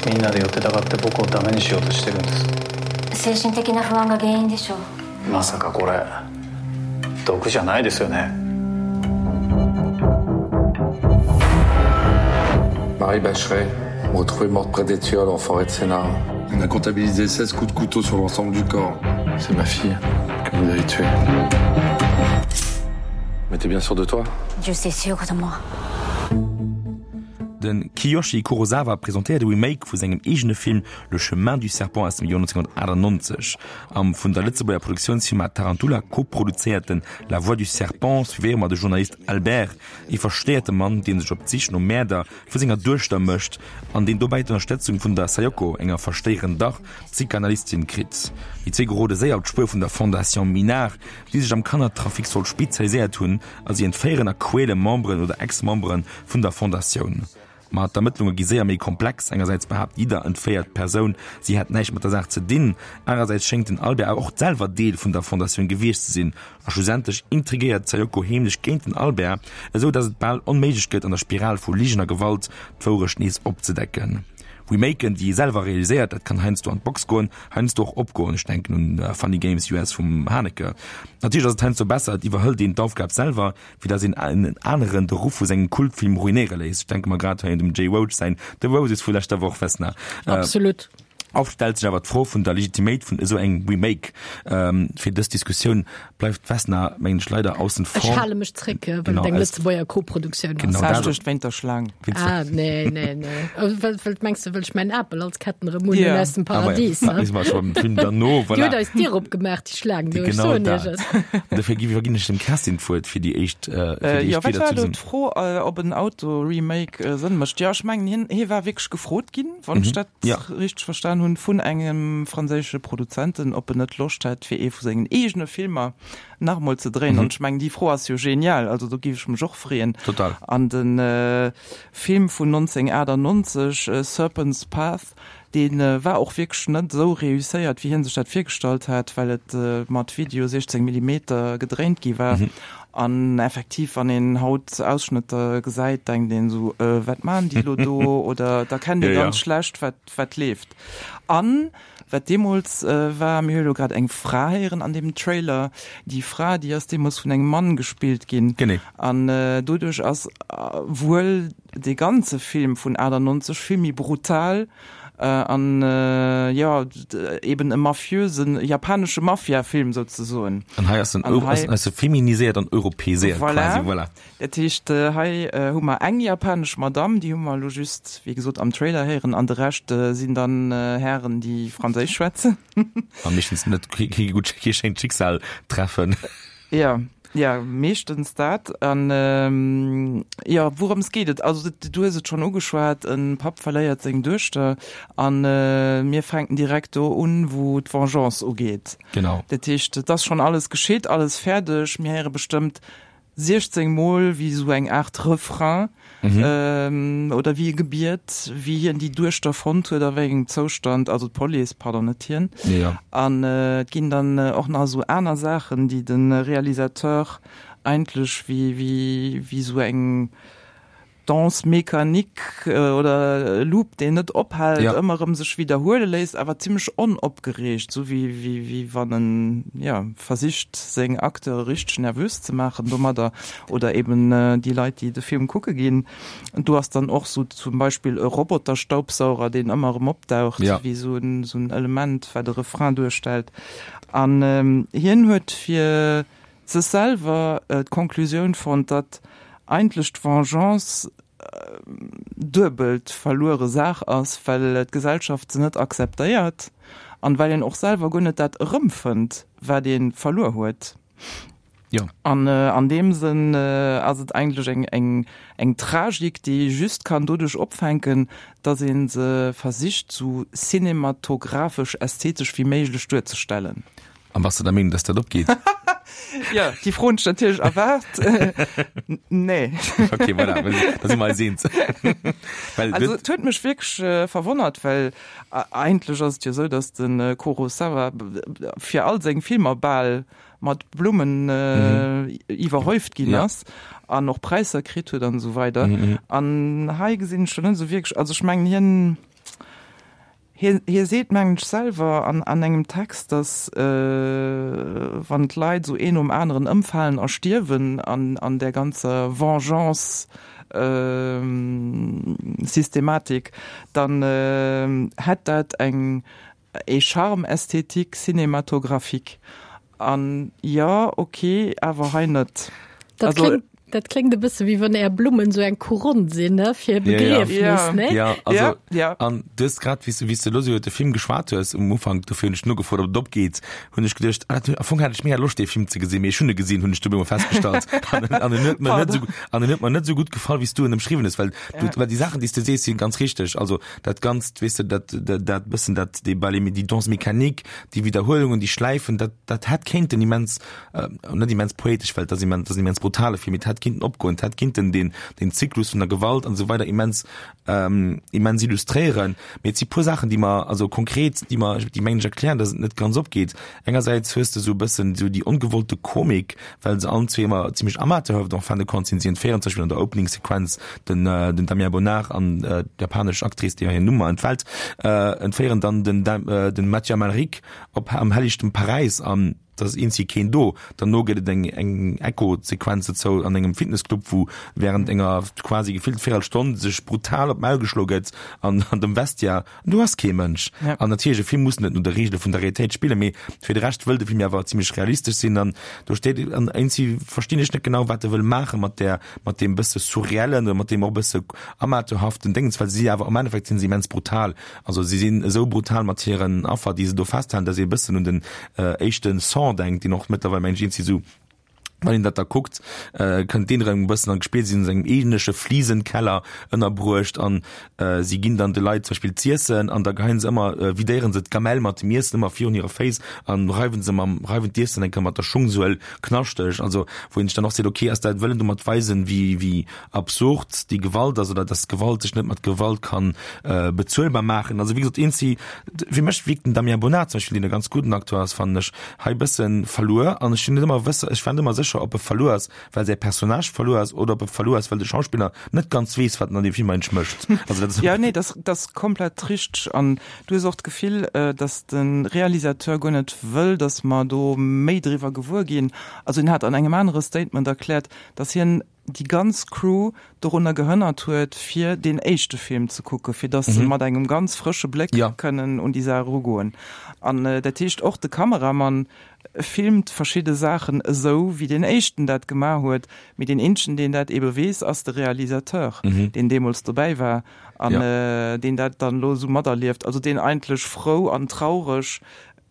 みんなで寄ってたかって僕をダメにしようとしてるんです精神的な不安が原因でしょうまさかこれ毒じゃないですよね Marie Bacheret retrouvée morte près d'Étiole en forêt de Sénart. On a comptabilisé seize coups de couteau sur l'ensemble du corps. C'est ma fille que vous avez tuée. Mais t'es bien sûr de toi? Je suis sûr de moi. De Kiyoshi Kurosawa presentéiert e Remake vu sengem eegene Film Le chemin du serpent aus dem Joer neunzehnhundertachtundneunzeg. Am vun der Lëtzebuerger Produktiounsfirma Tarantula koproduzéierte La voix du serpent suivéiere mer de Journalist Albert, ee verstéierte Mann, dee sech op d'Sich nom Mäerder vu senger Duechter mécht an deen dobäi d'Ënnerstëtzung vun der Sayoko, enger verstéierender Psychanalystin, kritt. Déi zwee gerode séier op d'Spuer vun der Fondation Minard, déi sech am Kannertrafic soll spezialiséiert hunn a si entféieren a quäle Memberen oder Ex-Membere vun der Fondatioun. Ma d'Ermëttlunge gi séier méi komplex, engersäits behaapt jidder entféiert Persoun, si hätt näischt mat der Saach ze dinn, anerersäits schéngt den Albert awer och selwer Deel vun der Fondatioun gewiescht ze sinn a schlussendlech intrigéiert d'Sayoko heemlech géint den Albert, esou datt et bal onméiglech gëtt an der Spiral vu Ligen a Gewalt d'Wourecht nees opzedecken. Remaken, déi ee selwer realiséiert, dat kann heiansdo an d'Box goen, heiansdo och opgoen, ech denken un Funny Games U S vum Haneke. Natierlech ass et heiansdo besser, et iwwerhëlt een d'Aufgab selwer, wéi datt een en aneren de Ruff vu sengem Kultfilm ruinéiere léisst, ech denke mer grad hei un dem Jay Roach säin The Roses vu leschter Woch, Vesna. Absolut. Oft stellt sech awer d'Fro vun der Legitiméit vun esou engem Remake. Fir dës Diskussioun bleift d'Vesna, mengen ech, leider aussen Ech vor. hale mech zréck, well Genau, et eng aus- Lëtzebuerger Koproduktioun ass. Genau, dat- Duerch wéint der Schlaang. Ah, nee, nee, nee. Oh, well, well, mengs du, wëll ech mäin Apel als Ketten erëm hunn Ja. aus dem Ah, ma ja, Paradies? da ne? si mer scho beim Film derno, Déi voilà. huet eis d'Dier opgemaach, déi Schlaang do, ech Genau soen iech dat. et. An dofir gi iwwerginn ech dem Kerstin d'Wuert fir déi éischt, äh, fir Äh, déi jo, éischt wat Wieder war zu do diesem. d'Fro, äh, ob en Auto-Remake äh, Sënn mécht? Jo, ech mengen, hien, hie war wierklech gefrot ginn, wann ech dat Ja. richteg verstan hunn, vun engem franséische Produzenten, ob en net Loscht hätt, fir ee vu sengen eegene Filmer nach emol ze dréien. An ech mengen, déi Fro ass jo genial, also do géif ech mech och freeën. Total. An de Film vun neunzehnhundertachtundneunzeg, Serpent's Path, Dee war och wierklech net esou reusséiert, wéi hien sech dat virgestallt hat, well et mat Video siechzéng Millimeter gedréint gi war. An effektiv, wann een haut Ausschnëtter gesäit, denkt een esou, Wat maachen déi elo do? Oder da kennt ee ganz schlecht, wat wat leeft. An wat deemools war, mir hu jo elo grad eng Fra héieren an deem Trailer, déi Fra, déi ass deemools vun engem Mann gespillt ginn. An doduerch ass wuel dee ganze Film vun aachtannonzeg vill méi brutal an jo eben e mafiösen, japanesche Mafiafilm souzesoen. An hei ass en ass e feminiséiert an europäiséiert quasi, voilà. Dat heescht hei hu mer eng japanesch Madamm, déi hu mer elo just wéi gesot am Trailer héieren, an de Rescht sinn dann Hären déi franséisch schwätzen. A meeschtens net kee gutt, kee schéint Schicksal treffen. Jo. Ja, meeschtens dat. An jo, wourëms geet et? Also du hues et schonn ugeschwat, e Papp verléiert seng Duechter a mir fänken direkt do un, wou d'Vengeance ugeet. Genau. Dat heescht, et ass schonn alles geschitt, alles fäerdeg. Mir héiere bestëmmt siechzéng Mol wéi esou eng Aart Refrain oder wéi e Gebiet, wéi hien déi Duechter fonnt huet, a wéi engem Zoustand, also d'Police, pardon, net hien. An et ginn dann och nach esou aner Saachen, déi de Realisateur eigentlech wéi, wéi, wéi esou eng Danse mécanique oder e Loop, deen net ophält, ëmmer erëm sech widderhuele léisst, awer zimlech onopgereegt, esou wéi, wéi, wéi wann en, jo, versicht, seng Acteure richteg nervös ze maachen domadder oder eben déi Leit, déi de Film kucke ginn. Do ass dann och esou zum Beispill e Roboterstaubsauger, deen ëmmer erëm opdaucht, wéi esou en, esou en Element, wat e Refrain duerstellt. An hien huet fir sech selwer d'Konklusioun fonnt, datt eigentlech d'Vengeance duebelt verluere Saach ass, well d'Gesellschaft se net akzeptéiert an well een och selwer guer net dat erëmfënnt, wat ee verluer huet. Jo. An an deem Sënn ass et eigentlech eng eng eng Tragik, déi ee just kann doduerch opfänken, datt ee se versicht sou cinematographesch ästhetesch wéi méiglech duerzestellen. An bass de der Meenung, dass dat opgeet? Ja, déi Fro hunn ech natierlech erwaart. Nee. Okay, voilà, da si mer eis eens. Well also, et huet mech wierklech verwonnert, well eigentlech ass et jo esou, dass de Kurosawa fir all seng Filmer bal mat Blummen iwwerhäuft ginn ass an och Präisser kritt huet an esou weider. An hei gesinn ech schon net esou wierklech, also ech mengen hien, Hie seet, mengen ech, selwer an engem Text, datt wann d'Leit esou een nom aneren ëmfalen a stierwen an där ganzer Vengeance-Systematik, dann hätt dat eng ee Charme esthétique cinématographique. An jo, ok, awer hei net. Dat kléngt, dat kléngt e bësse wéi wann Är Blummen esou eng Couronne sinn, ne, fir e Begriefnis, ne? Ja, also, ja. An du hues grad, wéi s du, wéi s du elo esou iwwer de Film geschwat hues um Ufank, dofir hunn ech nogefrot, ob et opgeet, hunn ech geduecht, ah, am Fong hat ech mega Loscht, dee Film ze gesinn, mee ech hunn e gesinn, hunn ech du op eemol festgestallt. An, an en huet mer net esou, an en huet mer net esou gutt gefall, wéi s du en ëmschriwwen hues, well du, well déi Saachen, déi s du sees, si ganz richteg. Also dat Ganzt, weess de, dat, dat, dat bëssen, dat, déi Ballet, déi Danse mécanique, déi Widderhuelungen, déi Schläifen, dat, dat hätt kéinten immens, net immens poetesch, well et ass immens, et ass en immens brutale Film, mee et hätt kinnten opgoen, et hätt kinnten deen, deen Zyklus vun der Gewalt an esou weider immens, immens illustréieren. Mee et si puer Saachen, déi mer, also konkret, déi mer, déi mengen ech erklären, dass et net ganz opgeet. Engersäits hues de esou e bëssen esou déi ongewollte Komik, well se allen zwee ëmmer zimlech amateurhaft en fin de compte sinn. Si entféieren zum Beispill an der Opening-Sequenz den, den Damien Bonnard an d'japanesch Actrice, deeër hir Numm mer entfält, entféieren dann den, den Mathieu Amalric op am hellichten Paräis an da ass eenzi keen do. Derno gëtt et eng eng Echo-Sequenz dozou an engem Fitnessclub, wou während enger quasi gefillt Véirelstonn sech brutal op d'Maul geschloe gëtt an an dem Vestiaire an do ass kee Mënsch. An natierlech, e Film muss net no de Reegele vun der Realitéit spillen, mee fir de Rescht wëll de Film jo awer zimmlech realistesch sinn an do steet an eenzi verstinn ech net genau, wat e wëll maache mat där mat deem bësse surreellen oder mat deem och bësse amateurhaften Déngens, well si awer am Endeffekt sinn se immens brutal. Also si sinn esou brutal mat hiren Affer, déi se do festhalen, datt ee e bëssen un den éischte Saw denkt, deen och mëttlerweil, mengen ech, eenzi esou Wann een dat da kuckt, kënnt deen erëm e bëssen an d'Gespillt, si sinn an engem eegentleche Flisenkeller ënnerbruecht an si ginn dann de Leit zum Beispill z'iessen an da geheien se ëmmer, vidéieren se d'Gamelle mat dem Iessen ëmmer virun hire Féiss an reiwen se mam, reiwen d'Iessen eng Kéier mat der Schungsuel knaschteg. Also wou een sech dann och seet, okay, ass dat, wëll en domat weisen, wéi, wéi absurd déi Gewalt ass oder dass Gewalt sech net mat Gewalt kann bezuelbar maachen. Also wéi gesot, een si, fir mech wierkt den Damien Bonnard zum Beispill, deen e ganz gudden Acteur ass, fannen ech, hei e bësse verluer an ech sinn net ëmmer wësse, ech war net ëmmer sécher, ob e verluer ass, well säi Personnage verluer ass oder ob e verluer ass, well de Schauspiller net ganz weess, wat en an deem Film eigentlech mécht. Also dat ass. Jo, nee, dat ass komplett richteg an du hues och d'Gefill, datt de Realisateur guer net wëll, datt mer do méi driwwer gewuer ginn. Also hien hat an engem anere Statement erkläert, datt hien déi ganz Crew dorunner gehënnert huet, fir deen éischte Film ze kucken, fir datt se mat engem ganz frësche Bléck kënnen un déi Saach erugoen. An dat heescht, och de Kameramann filmt verschidde Saachen esou, wéi deen éischten dat gemaach huet, mee deen eenzegen, deen dat eebe weess, ass de Realisateur, deen deemools dobäi war an deen dat dann elo esou materlieft, also deen eigentlech frou an traureg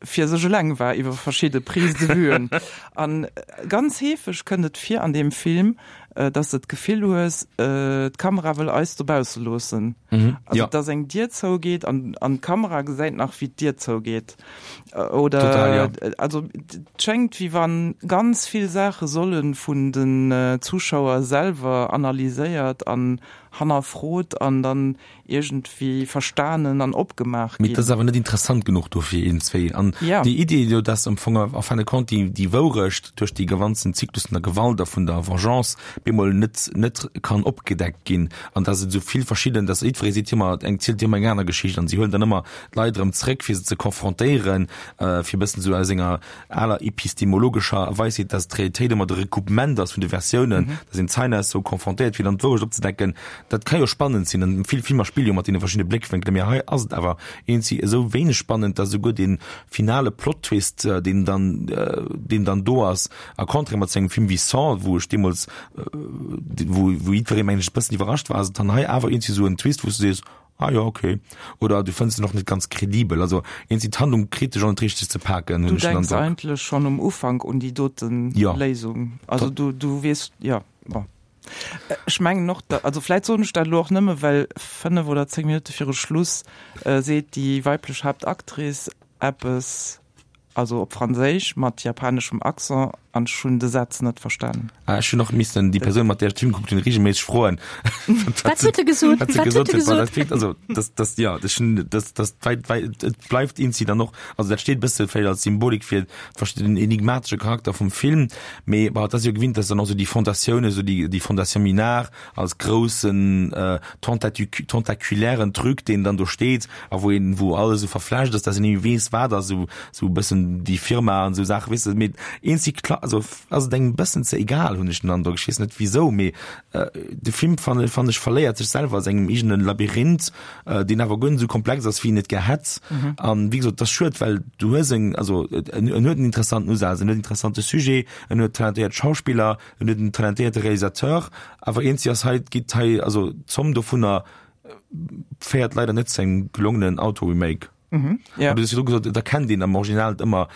fir sech eleng war iwwer verschidde Prises de vuen. An ganz heefeg kënnt et vir an deem Film, dass de d'Gefill hues, d'Kamera wëll eis dobausse loossen. Also dass eng Dier zougeet an an d'Kamera gesäit nach wéi d'Dier zougeet. Oder Total, ja. also et schéngt wéi wann ganz vill Saache solle vun den Zuschauer selwer analyséiert an hannerfrot an dann iergendwéi verstanen an opgemaach Mee ginn. et ass awer net interessant genuch dofir een, zwee. An Ja. déi Idee jo, dass am Fong en fin de compte déi, déi Wourecht duerch dee ganzen Zyklus vun der Gewalt a vun der Vengeance bemol net, net kann opgedeckt ginn an dass et esou vill verschidden, dass jiddweree seet ëmmer, eng zielt ëmmer eng aner Geschicht an si huelen dann ëmmer d'Leit erëm zréck fir se ze confrontéieren, fir e bëssen esou aus enger aler epistemologescher Weisheet, dass d'Realitéit ëmmer de Recoupement ass vun de Versiounen, dass een d'Zeinenaussoe confrontéiert fir dann d'Wourecht opzedecken. Dat ka jo spannend sinn an vill Filmer spille jo mat deene verschiddene Bléckwénkelen, mee hei ass et awer eenzi esou wéineg spannend, dass esouguer dee finale Plot-Twist, deen dann, deen dann do ass, a Contraire mat sou engem Film wéi Saw, wou ech deemools, wou, wou jiddweree mengen ech e bëssen iwwerrascht war, ass et dann hei awer eenzi sou en Twist, wou s du sees, Ah jo, okay. Oder du fënns en och net ganz kredibel. Also eenzi d'Handlung kritt dech och net richteg ze paken, Du hunn ech den denks Androck. eigentlech schonn um Ufank un déi doten Ja. Léisung. Also du, du weess, jo, bon. Ech mengen och, da, also vläit soen ech dat elo och nëmme well fënnef oder zéng Minutte viru Schluss seet déi weiblech Haaptactrice eppes, also op Franséisch mat japaneschem Accent, an ech hunn de Saz net verstanen. Ah, ech hunn och missen déi Persoun, mat där ech de Film gekuckt hunn, reegelméisseg froen, Wat huet e gesot? wat se Wat huet gesot e huet, well gesot? dat klingt, also das, das, ja, ech hunn, das, das, wei, wei, et bleift eenzi dann och, also dat steet e bësse vläicht als Symbolik fir den enigmatesche Charakter vum Film, mee bon, et ass jo gewinnt, dass dann och sou déi Fondatioun, esou déi, déi Fondation Minard als groussen äh, tentaculären Truc, deen dann do steet a wou een, wou alles esou verflecht ass, dass een ni weess, wat ass, esou, esou e bëssen déi Firma an esou Saachen, weess de, mee eenzeg kla, also ass et engem e bëssen ze egal, hunn ech den Androck. Ech weess net wisou, mee äh, de Film fanne, fannen ech verléiert sech selwer a sengem eegene Labyrinth, äh, deen awer guer net esou komplex ass, wéi een et gär hätt. An wéi gesot, et ass schued, well du hues eng, also en, en huet en interessanten Usaz, en huet en interessante Sujet, en huet talentéiert Schauspiller, en huet en talentéierte Realisateur, awer eenzi ass hei, geet hei, also d'Zomm dovunner féiert leider net zu engem gelongenen Auto-Remake. Mhm, ja. An du hues virdru gesot, et erkennt een am Original net ëmmer,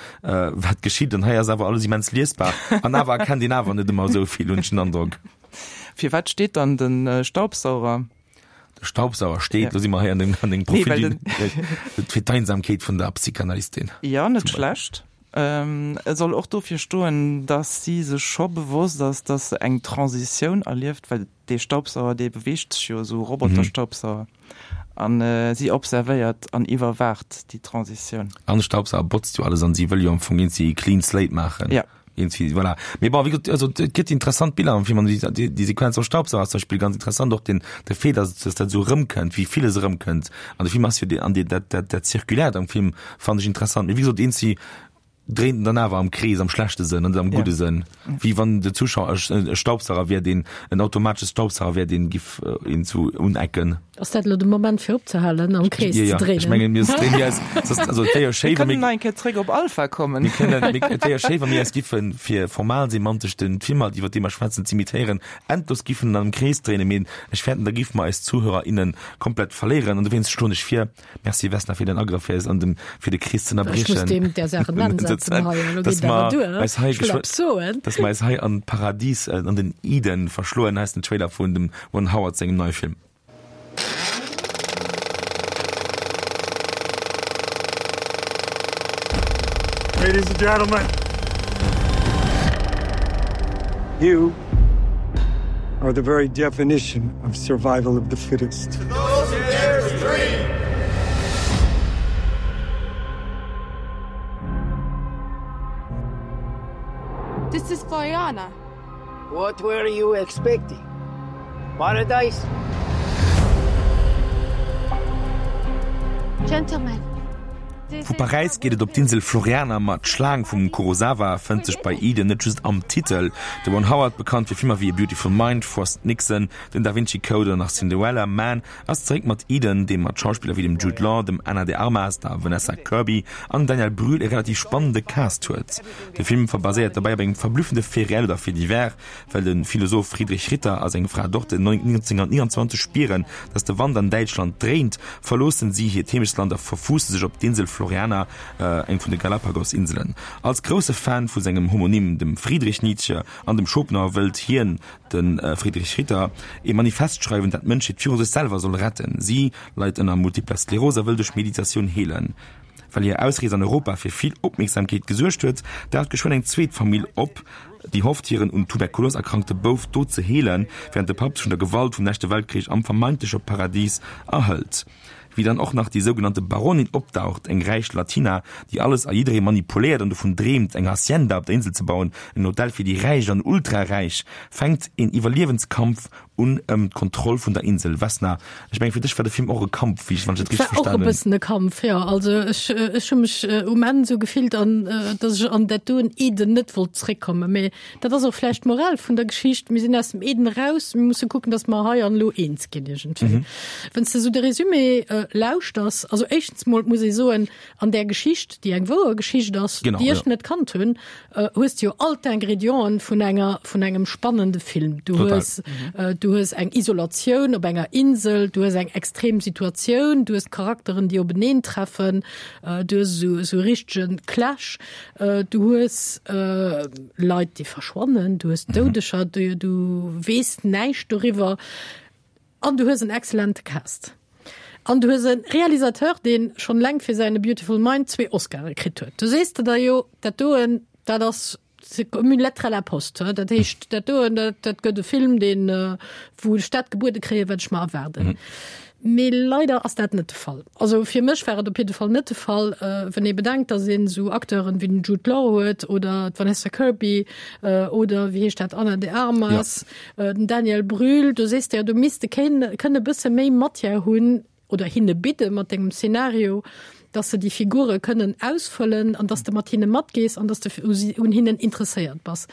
wat geschitt, an hei ass awer alles immens liesbar, an awer erkennt een awer net ëmmer esou vill, hunn ech den Androck. Fir wat steet dann de Staubsauger? De Staubsauger steet, Ja. lo si mer hei an dengem, an dengem Nee, Profil, well den fir d'Einsamkeet vun der Psychanalystin. Ja, net schlecht. Ähm, e soll och dofir stoen, dass si sech scho bewosst ass, dass se eng Transitioun erlieft, well dee Staubsauger, dee beweegt sech jo, esou Roboterstaubsauger, an si observéiert an iwwerwaacht déi Transitioun. An de Staubsauger botzt jo alles an si wëll jo am Fong iergendwéi clean slate maachen. Ja. Irgendwie, voilà. Mee bon, wéi gesot, also et gëtt interessant Biller am Film an déi, déi, déi Sequenz am Staubsauger ass zum Beispill ganz interessant, och den, de Fait, dass, dass dat esou erëmkënnt, wéi villes erëmkënnt an de Film ass jo dee, an dee, dat, dat, dat Zirkuläert am Film fannen ech interessant. Mee wéi gesot, eenzi dréint en dann awer am Krees, am schlechte Sënn, net am gudde Sënn, wéi wann de Zuschauer e Staubsauger wär, deen en automatesche Staubsauger wär, deen giff een zu unecken. Ass dat elo de Moment fir opzehalen, am Krees ze dréinen? Ech mengen, mir dréinen eis, also et wär jo schéi, Mir wa mir kënnen nach eng Kéier zréck op Alpha kommen. Mir kënnen, et wär jo schéi, wa mir eis giffen, fir formal semantesch den Filmer, iwwer dee mer schwätzen, z'imitéieren, endlos giffen am Krees dréinen, mee ech fäerten, da giffe mer eis Zuhörer, innen komplett verléieren an dowéinst schloen ech vir, Merci Vesna fir den Agrëff fir eis an dem fir de Krees ze Ech muss ënnerbriechen. deem där Saach en Enn setzen. Prozent, dass mer eis hei geschwë dass mer eis hei an d'Paradies, an den Eden verschloen, heisst den Trailer vun dem Ron Howard sengem neie Film. Ladies and gentlemen, you are the very definition of survival of the fittest. To those who dare to dream. This is Floriana. What were you expecting? Paradise? Gentlemen. Vu Paräis geet et op d'Insel Floriana, ma d'Schlaang vum Kurosawa fënnt sech bei Eden net just am Titel. De Ron Howard, bekannt fir Filmer wéi A Beautiful Mind, Frost Nixon, Den Da Vinci Code oder nach Cinderella Man, ass zeréck mat Eden, dee mat Schauspiller wéi dem Jude Law, dem Ana de Armas, der Vanessa Kirby an Daniel Brühl e relativ spannende Cast huet. De Film baséiert dobäi op engem verblüffende Fait réel oder Fait divers, Well de Philosoph Friedrich Ritter a seng Fra Dorte neunzehnhundertneunundzwanzeg spieren, datt de Wand an Däitschland dréint, verloossen si hiert Heemechtsland a verfuusse sech op d'Insel Floreana, eng vun de Galapagos-Inselen. Als grousse Fan vu sengem Homonym, dem Friedrich Nietzsche an dem Schopenhauer, wëllt hien, de Friedrich Ritter, ee Manifest schreiwen, dat d'Mënschheet viru sech selwer soll retten. Si leit ënner Multipler Skleros a wëll duerch Meditatioun heelen. Well hir Ausrees an Europa fir vill Opmierksamkeet gesuergt huet, daucht geschwënn eng zweet Famill op, déi hofft, hiren un Tuberkulos erkrankte Bouf do ze heelen, wärend de Papp sech vun der Gewalt vum leschte Weltkrich am vermeintleche Paradis erhëlt. Wéi dann och nach déi sougenannte Baronin opdaucht, eng räich Latina, déi alles a jidderee manipuléiert an dovun dreemt, eng Hacienda op der Insel ze bauen, en Hotel fir déi Räich an Ultraräich, fänkt een Iwwerliewenskampf un ëm d'Kontroll vun der Insel. Vesna, ech mengen, fir dech war de Film och e Kampf, wéi ech, wann ech et Et richteg war och e verstanen hunn. bëssen e Kampf, jo. Also ech, ech hu mech um Enn esou gefillt, an datt ech an dat doen Eden net wollt zréckkommen. Mee dat ass och vläicht d'Moral vun der Geschicht, Mir sinn aus dem Eden eraus, mir musse kucken, datt mer hei an elo eens ginn iergendwéi. Wann s de esou de Résumé lauschters, also éischtens mol muss ee soen, an där Geschicht, déi eng wouer Geschicht ass, Genau, déi ech jo. net kannt hunn, hues de jo all d'Ingredienten vun enger, vun engem spannende Film. Du Total. hues, du hues eng Isolatioun op enger Insel, du hues eng extrem Situatioun, du hues Charakteren, déi openeen treffen, du hues esou, esou e richtegen Clash, du hues Leit, déi verschwannen, du hues Doudeger, du, du weess näischt doriwwer an du hues en exzellente Cast. An du hues e Realisateur, dee schonn eleng fir säin A Beautiful Mind zwee Oscare kritt huet. Du sees der da jo, dat doen, dat ass, c'est comme une lettre à la poste. Dat heescht, dat doen, dat, dat gëtt e Film, deen, wou ech dat gebuede kréien, wat ech mer erwaarden. Mee leider ass dat net de Fall. Also fir mech war et op jidde Fall net de Fall, wann ee bedenkt, datt een esou Acteuren wéi den Jude Law huet oder d'Vanessa Kirby oder, wéi heescht dat, Ana de Armas, den Daniel Brühl, do sees de jo, do misst de kënne e bësse méi Matière hunn oder hinne bidde mat dengem Szenario, datt se déi Figure kënnen ausfëllen an datt de mat hinne matgees an datt de un hinnen interesséiert bass.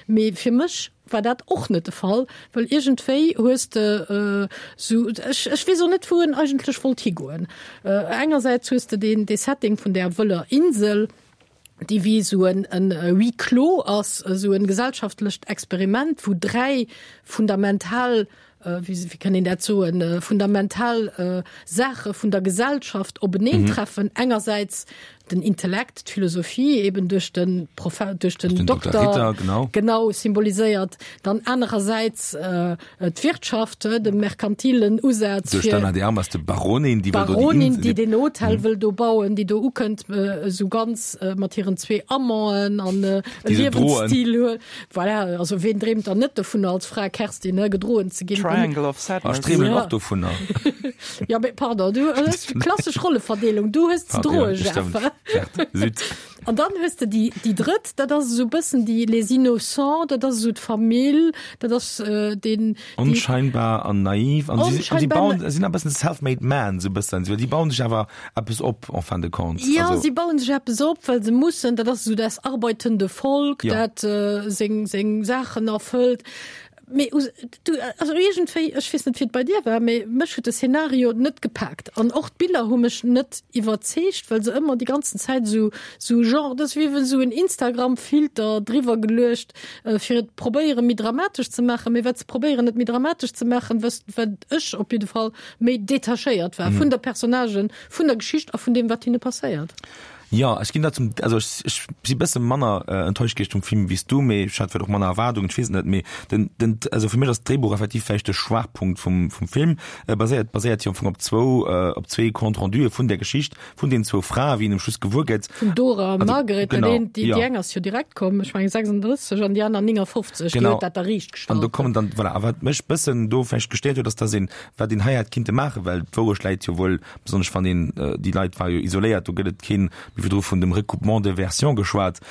Mee fir mech war dat och net de Fall, well iergendwéi hues de esou, ech, ech weess och net, wou en eigentlech wollt higoen. Engersäits hues de deen, dee Setting vun där wëller Insel, déi wéi esou en, en Huis clos ass, esou en gesellschaftlecht Experiment, wou dräi fundamental, wéi, wéi kann een dat soen, fundamental Saache vun der Gesellschaft openeentreffen, engersäits den Intellekt, d'Philosophie, eben duerch de Profe duerch den Den Dokter Dokter, Ritter, genau. genau symboliséiert, dann anerersäits d'Wirtschaft, de merkantilen Usaz Duerch fir d'Anna de Armas, de Baronin, déi wëll do déi Baronin, Insel, déi den Hotel wëll do bauen, déi do ukënnt, esou ganz mat hiren zwee Amanten an e Déi se droen. Liewensstil huet. Voilà, also ween dreemt dann net dovunner als Fra Kerstin, ne, gedroen ze ginn? Triangle of Ech Sadness. dreemen Ja. och dovunner. Ja, mee pardon, du hues klassesch Rolleverdeelung, du hues ze Pardon, ja, droe, stimmt. Jeff. Certes, Süd. An dann hues de déi, déi drëtt, dat ass esou e bëssen déi les Innocents, dat ass esou d'Famill, dat ass äh, den, déi, Onscheinbar an naiv an si, an si Onscheinbar bauen, sinn e bëssen self-made man, sou bëssen, si bauen sech awer eppes op en fin de compte. Ja, also, si bauen sech eppes op, well se mussen, dat ass esou das arbeitende Volk, Ja. dat äh, seng, seng Saachen erfëllt. Mee du, also iergendwéi, ech weess net wéi et bei dir war, mee mech huet de Szenario net gepaakt an och d'Biller hu mech net iwwerzeegt, well se ëmmer déi ganzen Zäit sou sou genre, dat ass wéi wann sou en Instagram-Filter driwwer geluecht, fir et probéiere méi dramatesch ze maachen, mee wat se probéieren et méi dramatesch ze maachen, wat wat ech op jidde Fall méi detachéiert war vun der Personnagen, vun der Geschicht a vun deem wat hinne passéiert. Jo, ech ginn der zum, also ech, ech si bësse manner äh, enttäuscht gewiescht vum Film wéi s du, mee ech hat vläicht och manner Erwaardungen, ech weess et net, mee den, den, also fir mech ass d'Dréibuch effektiv vläicht de Schwaachpunkt vum, vum Film. E baséiert, baséiert jo am Fong op zwou, äh, op zwee Compte-rendue vun der Geschicht vun den zwou Frae, wéi een um Schluss gewuer gëtt. Vun Dora a Also, Margaret, genau, dat eent, déi, jo. déi eng ass jo direkt komm, ech mengen sechsunddrësseg an déi aner néngafofzeg, déi Genau. huet dat da riicht An do gestallt. kommen dann, voilà, a wat mech bëssen do vläicht gestéiert huet, ass, dass een, wat een hei hätt kinnte maachen, well d'Wourecht läit jo wuel, besonnesch wann een, déi Leit ware jo isoléiert, do gëtt et keen, mir hu virdru vun dem Recoupement de versions geschwat,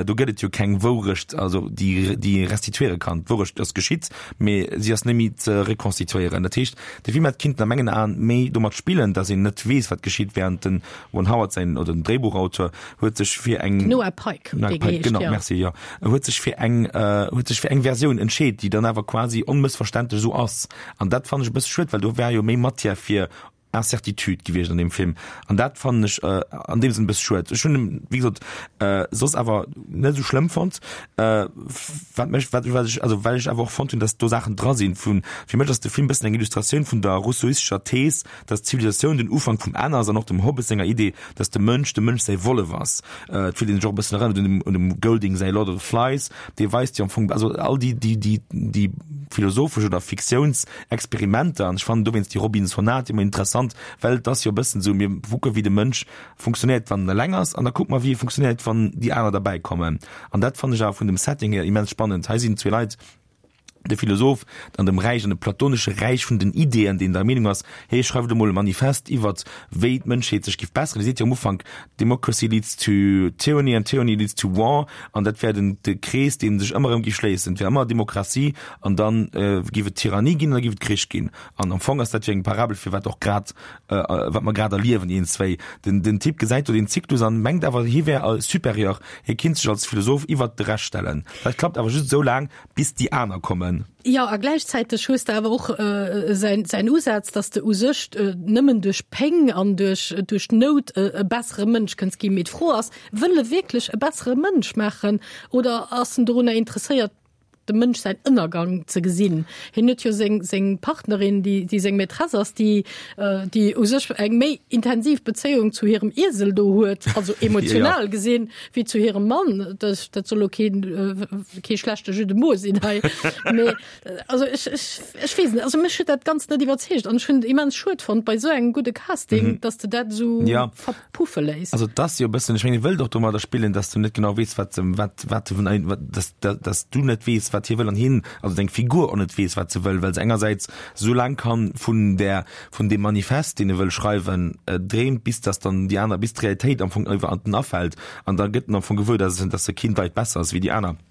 do gëtt et jo keng Wourecht, also déi, déi ee restituiere kann. D'Wourecht ass geschitt, mee si ass net méi ze rekonstituéieren. Dat heescht, de Film hätt kinnten a mengen Aen méi domat spillen, dass een net weess, wat geschitt, während den Ron Howard säin, oder den Dréibuchauteur huet sech fir eng, Noah Pyke, Noah dee Pyke, geheescht, genau, jo. merci, jo, huet sech fir eng, huet sech fir eng Versioun entscheet, déi dann awer quasi onmëssverständlech esou ass. An dat fannen ech e bësse schued, well do wär jo méi Matière fir Incertitude gewiescht an deem Film. An dat fannen ech äh, an deem Sënn e bësse schued. Ech hunn en, wéi gesot, äh, soss awer net esou schlëmm fonnt. Äh, wat mech, wat, wat ech, also well ech awer och fonnt hunn, dass do Saachen dra sinn vun, fir mech ass de Film bëssen eng Illustratioun vun der rousseauistescher Thees, dass d'Zivilisatioun den Ufank vum Enn ass an och dem Hobbes senger Idee, dass de Mënsch dem Mënsch säi Wollef ass. Äh, et fillt een sech och e bëssen erënnert un dem, un dem Golding säi Lord of the Flies, dee weist jo am Fong, also all déi, déi, déi, déi philosophesch oder Fiktiounsexperimenter, an ech fannen dowéinst déi Robinsonade ëmmer interessant, well et ass jo e bëssen esou, mir kucke wéi de Mënsch funktionéiert, wann en eleng ass, an da kucke mer wéi e funktionéiert, wann déi aner derbäi kommen. An dat fannen ech awer vun dem Setting hier immens spannend. Hei sinn zwee Leit, de Philosoph an dem Räich, an dem platonesche Räich vun den Ideeën, deen der Meenung ass, hee schreift emol e Manifest iwwert wéi d'Mënschheet sech giff besseren. Hie seet jo am Ufank, Democracy leads to tyranny and tyranny leads to war, an dat wär den de Krees, dee sech ëmmer erëm giff schléissen. Et wär ëmmer Demokratie an dann giff et Tyrannie ginn an da giff et Krich ginn. An am Fong ass dat jo eng Parabel fir wat och grad, wat mer grad erliewen iergendzwéi. Den den Typ gesäit do den Zyklus an mengt awer, hie wär supérieur, hie kinnt sech als Philosoph iwwert de Rescht stellen. Dat klappt awer just esou laang, bis déi aner kommen. Jo, a gläichzäiteg hues de awer och säin, säin Usaz, dass de u sech nëmmen duerch Péng an duerch, duerch d'Nout e bessere Mënsch kënns ginn. Mee d'Fro ass, Wëll e wierklech e bessere Mënsch maachen oder ass en dorunner interesséiert, dem Mënsch säin Ënnergang ze gesinn? Hien huet jo seng, seng Partnerin, déi, déi seng Maîtresse ass, déi, déi u sech eng méi intensiv Bezéiung zu hirem Iesel do huet, also emotional gesinn, wéi zu hirem Mann. Dat, dat soll lo keen, kee schlechte Jeu de mots sinn hei. Mee also ech, ech, ech weess net, also mech huet dat Ganzt net iwwerzeegt an ech hunn et immens schued fonnt bei esou engem gudde Casting, dass de dat esou Ja. verpuffe léiss. Also et ass jo e bëssen, ech mengen, e wëllt och domadder spillen, dass du net genau weess, wat, wat, wat, wat, dass, dass du net weess, wat hie wëll an hien, also deng Figur och net weess, wat se wëll, well se engersäits esou laang kann vun där, vun deem Manifest, deen e wëll schreiwen, dreemt, bis dass dann déi aner, bis d'Realitéit am Fong iwwer an en afält an da gëtt en am Fong gewuer, dass en, dass e keen Deit besser ass wéi déi aner.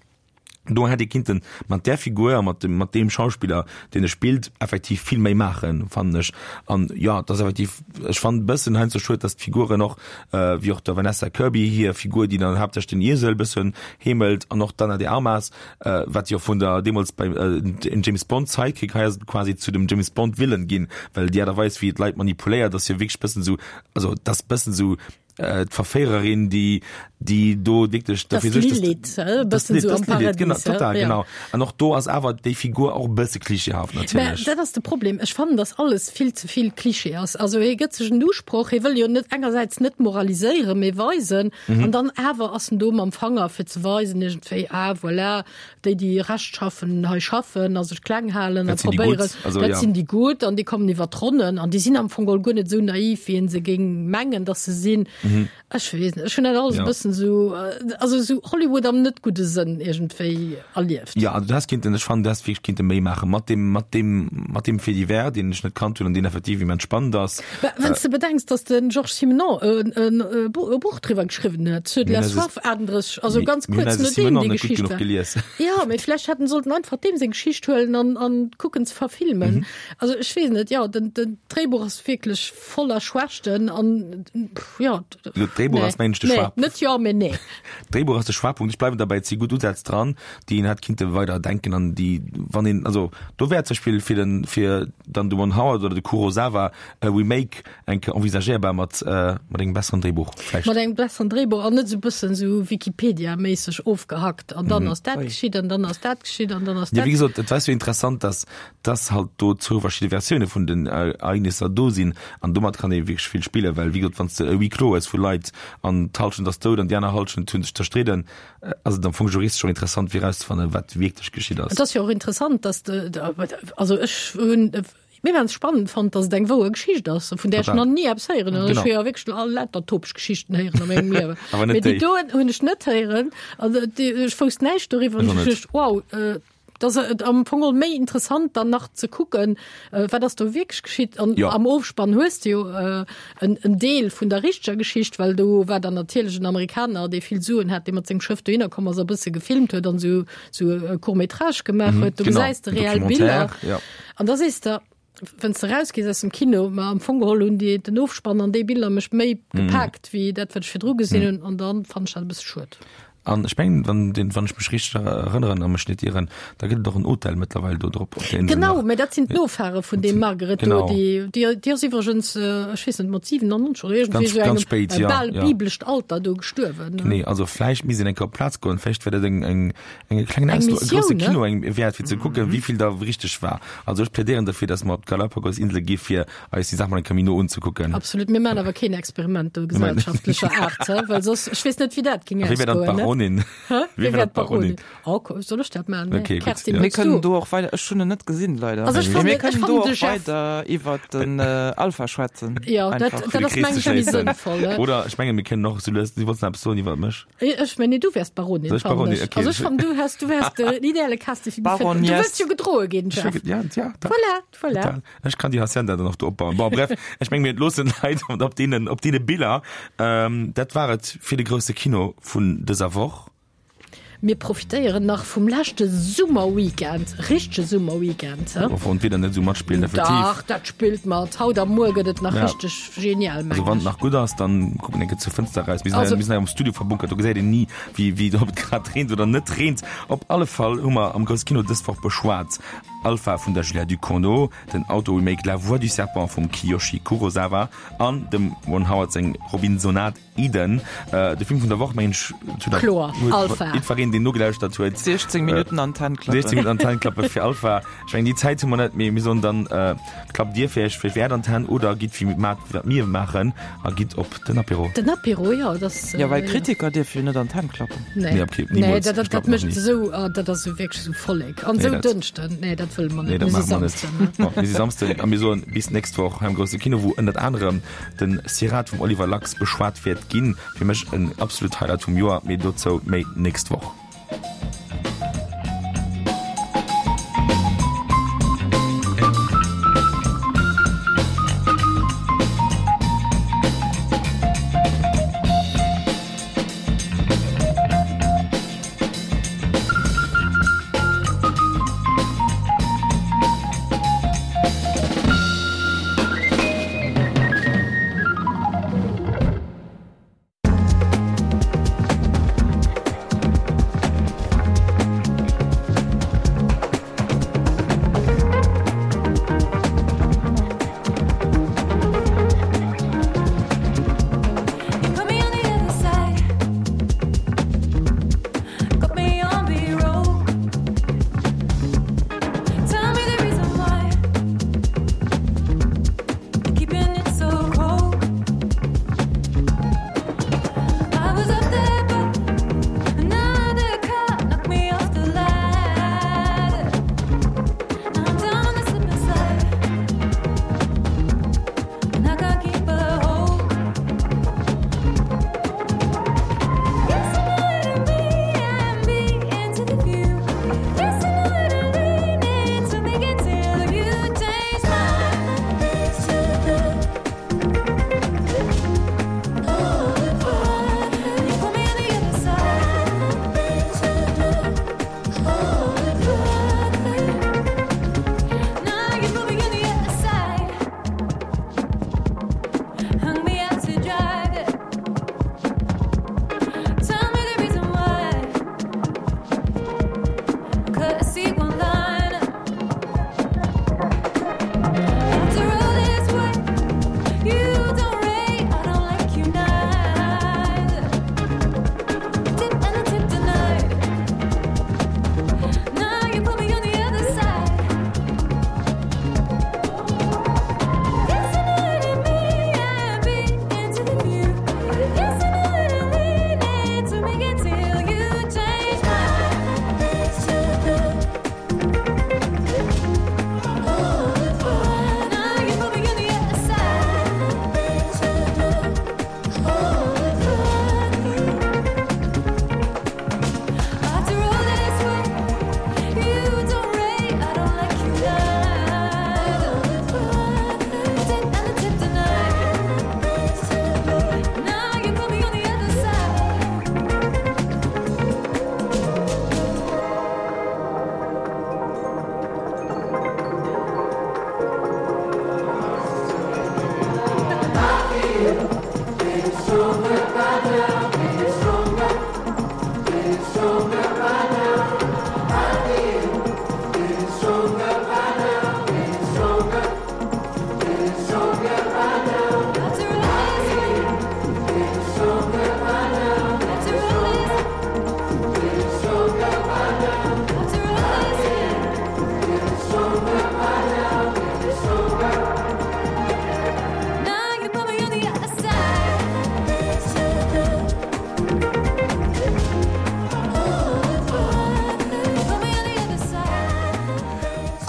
Do hätt ee kinnten mat där Figur a mat dem, mat deem Schauspiller, deen e spillt, effektiv vill méi maachen, fannen ech. An jo, et ass effektiv, ech fannen e bëssen heiansdo schued, dass d'Figuren och, wéi och der Vanessa Kirby hir Figur, déi dann haaptsächlech den Iesel bëssen heemelt, an och d'Ana de Armas, wat jo vun der deemools beim en James Bond Sidekick, hei ass et quasi zu dem James Bond Villain ginn, well déi Aart a Weis wéi et d'Leit manipuléiert, ass jo wierklech bëssen esou, also et ass bëssen esou d'Verféiererin, déi déi do wierklech dofir suergt, dass Lilith, e bëssen esou am Paradies, genau, total, genau. An och do ass awer déi Figur och e bësse klischeehaft natierlech. Mä dat ass de Problem, ech fannen, dass alles vill ze vill Klischee ass. Also hie gëtt sech en Usproch, hie wëll jo net engersäits net moraliséieren, mee weisen, an dann awer ass en do mam Fanger fir ze weisen iergendwéi, ah voilà, déi déi rechtschaffen hei schaffen a sech kleng halen a Dat sinn déi probéieren, Gutt, also dat ja. sinn déi Gutt an déi kommen iwwer d'Ronnen an déi sinn am Fong geholl guer net esou naiv, wéi een se géing mengen, dass se sinn. Ech weess net, ech hunn dat alles e Ja. bëssen esou, also esou Hollywood am net gudde Sënn iergendwéi erlieft. Ja, also du häss kinnten, ech fannen, du häss wierklech kinnte méi maache mat deem, mat deem, mat deem Fait divers, deen ech net kannt hunn an deen effektiv immens spannend ass. Mä wann s de bedenks, dass de Georges Simenon en, en e Buch driwwer geschriwwen huet, Ceux de la Mir hunn eise, soif, achtunddrësseg, also ganz mir hunn kuerz eise nodeem Simenon déi net gutt Geschicht genuch war. gelies. Ja, mee vläicht hätten sollten einfach deem seng Geschicht huelen an, an kucken ze verfilmen. Also ech weess net, jo, den, den Dréibuch ass wierklech voller Schwächten an, pff, jo, D'Dréibuch nee, ass mengen ech de nee, Schwaach. net jo, mee nee. D'Dréibuch ass de Schwaachpunkt. Ech bleiwen derbäi, et si gutt Usätz dran, déi een hätt kinnte weider denken an déi, wann een, also do wär zum Beispill fir den, fir dann de Ron Howard oder de Kurosawa e Remake eng Kéier envisagéierbar mat, mat engem besseren Dréibuch vläicht. Mat engem besseren Dréibuch an net esou bëssen esou Wikipedia-méisseg ofgehackt an dann ass dat geschitt an dann ass dat geschitt an dann ass Ja, dat. wéi gesot, et war jo interessant, dass, dass halt do zwou verschidde Versioune vun den Ereignisser do sinn an domat kann ee wierklech vill spillen, well wéi gesot, wann s de e Huis clos hues, ass vu Leit an d'Hallschent ass dout an déi aner Hallschent hunn sech zerstridden, ass et am Fong juristesch och interessant fir erauszefannen, wat wierklech geschitt ass. Et ass jo och interessant, dass de, also ech hunn mir ganz spannend fonnt, dass et eng wouer Geschicht ass, vun där ech nach ni eppes héieren hunn. Ech hu jo wierklech all lauter topeg Geschichten héieren a mengem Liewen. Awer net Mee déi déi. doen hunn ech net héieren. Also ech wousst näischt doriwwer Ech an och ech net. duecht, wow, Et ass am Fong geholl méi interessant dann nach ze kucken, wat ass do wierklech geschitt. An Jo. am Ofspann hues de jo en, en Deel vun der richteger Geschicht, well do war dann natierlech en Amerikaner, dee vill Suen hat, dee mat sengem Schëff dohinner komm ass a bësse gefilmt huet an esou, esou e Court-métrage gemaach Mhm, huet. Do genau, gesäis de en reell Biller. Documentaire, ja. An da sees de, wann s de rausgees aus dem Kino, ma am Fong geholl hunn déi, den Ofspann an déi Biller mech méi Mhm. gepaakt wéi dat, wat ech virdru gesinn Mhm. hunn. An dann fand ech dat e bësse schued. An ech mengen, wann den, wann ech mech richteg erënneren a mech net ieren, da gëtt et och en Hotel mëttlerweil do drop op der Insel Genau, nach. mä dat sinn d'Nofahre vun deem Margaret do, Genau. déi, déi, déi ass iwwregens, ech weess net, mat siwenannonzeg oder iergendwéi Ganz, esou ganz engem spéit, ja, bal ja. biblescht Alter do gestuerwen. Nee, also vläicht misst een eng Kéier op d'Plaz goen, vläicht wär dat eng, eng, eng klengen Eng Ausflug, e grousse Missioun, ne? Kino eng wäert, fir ze kucken, wéi vill da richteg war. Also ech plädéieren derfir, dass mer op d'Galapagos-Insele gi fir eis déi Saach mol eng Kéier méi no unzekucken. Absolut, mir maachen awer keen Experiment do gesellschaftlecher Aart, hä? Well soss, ech weess net, wéi dat géing A wie wär dann ausgoen, ne? d'Baronin? Hä? Wie Wie wär wär d'Baronin? d'Baronin? Oh, ko- soll ech dat maachen? Nee. Okay, gutt, Kerstin, ja. Mir wëlls kënnen du? do och weider, ech hunn en net gesinn, leider. Also ech Mee fannen- mir ech kënnen fannen do de och Jeff- weider iwwer den äh, Alpha schwätzen. Ja, dat, Einfach. dat Fir de ass Krees meng ze ech méi schléissen. sënnvoll, ne? Oder ech mengen, mir kënnen och sou lues, du wollts nach eppes soen iwwer mech? Ech mengen, du wärs Baronin, Soll ech fannen Baronin? ech. Okay. Also ech fannen, du has, du wärs den ideale Casting fir déi Baroness. Du wëlls jo gedroe ginn, Ech Jeff. wär- Ja, ja, da. Voilà, voilà. Total. Ech kann déi Hacienda dann och do opbauen. Bon, bref, ech meng, mir loossen d'Leit op deenen, op deene Biller. Ähm, dat war et fir de grousse Kino vun dëser Woch. Mir profitéieren nach vum leschte Summerweekend, richtege Summerweekend, hä? Obwuel d'Wieder net esou matspillt, effektiv. Dach, dat spillt mat. Haut a muer gëtt et nach Ja. richteg genial, Also mengen wann et ech. nach gutt ass, dann kucken eng Kéier zur Fënster eraus. Mir sinn Also hei, mir sinn hei am Studio verbunkert, do gesäit een ni, wéi, wéi, ob et grad reent oder net reent. Op alle Fall hu mer am Grousse Kino dës Woch beschwat Alpha vun der Julia Ducournau, den Auto-Remake La Voix du Serpent vum Kiyoshi Kurosawa an dem Ron Howard seng Robinsonade Eden. De Film vun der Woch, mengen ech, zu der Kloer, Alpha. Jiddwereen, deen nogelauschtert huet. siechzéng Minutten an d'Hänn klappen. siechzéng Minutten an d'Hänn klappe fir Alpha. Ech mengen, déi Zäit hu mer net, mee mir soen dann, klappt Dir fir Iech vläicht an d'Hänn oder gitt wéi mat wat mir maachen a gitt op den Apéro. Den Apéro, jo, dat. Jo, well Kritiker dierfe jo net an d'Hänn klappen. Nee, Nee, okay, nee, niemools. dat, dat, Ech klappen dat mécht nach ni. esou, ah, dat ass esou wierklech esou Vollek. An Nee, esou dat- Dënschden, nee, dat wëlle mer Nee, net. dat Mir si maache mer net. Samsden, ne? Bon, mir si Samsden a mir soen bis d'nächst Woch hei am Grousse Kino, wou ënnert anerem den Sirat vum Oliver Lax beschwat wäert ginn. Fir mech en absolut Highlight vum Joer, mee dozou méi d'nächst Woch.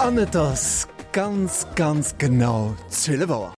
An et ass ganz ganz genau zwielef Auer.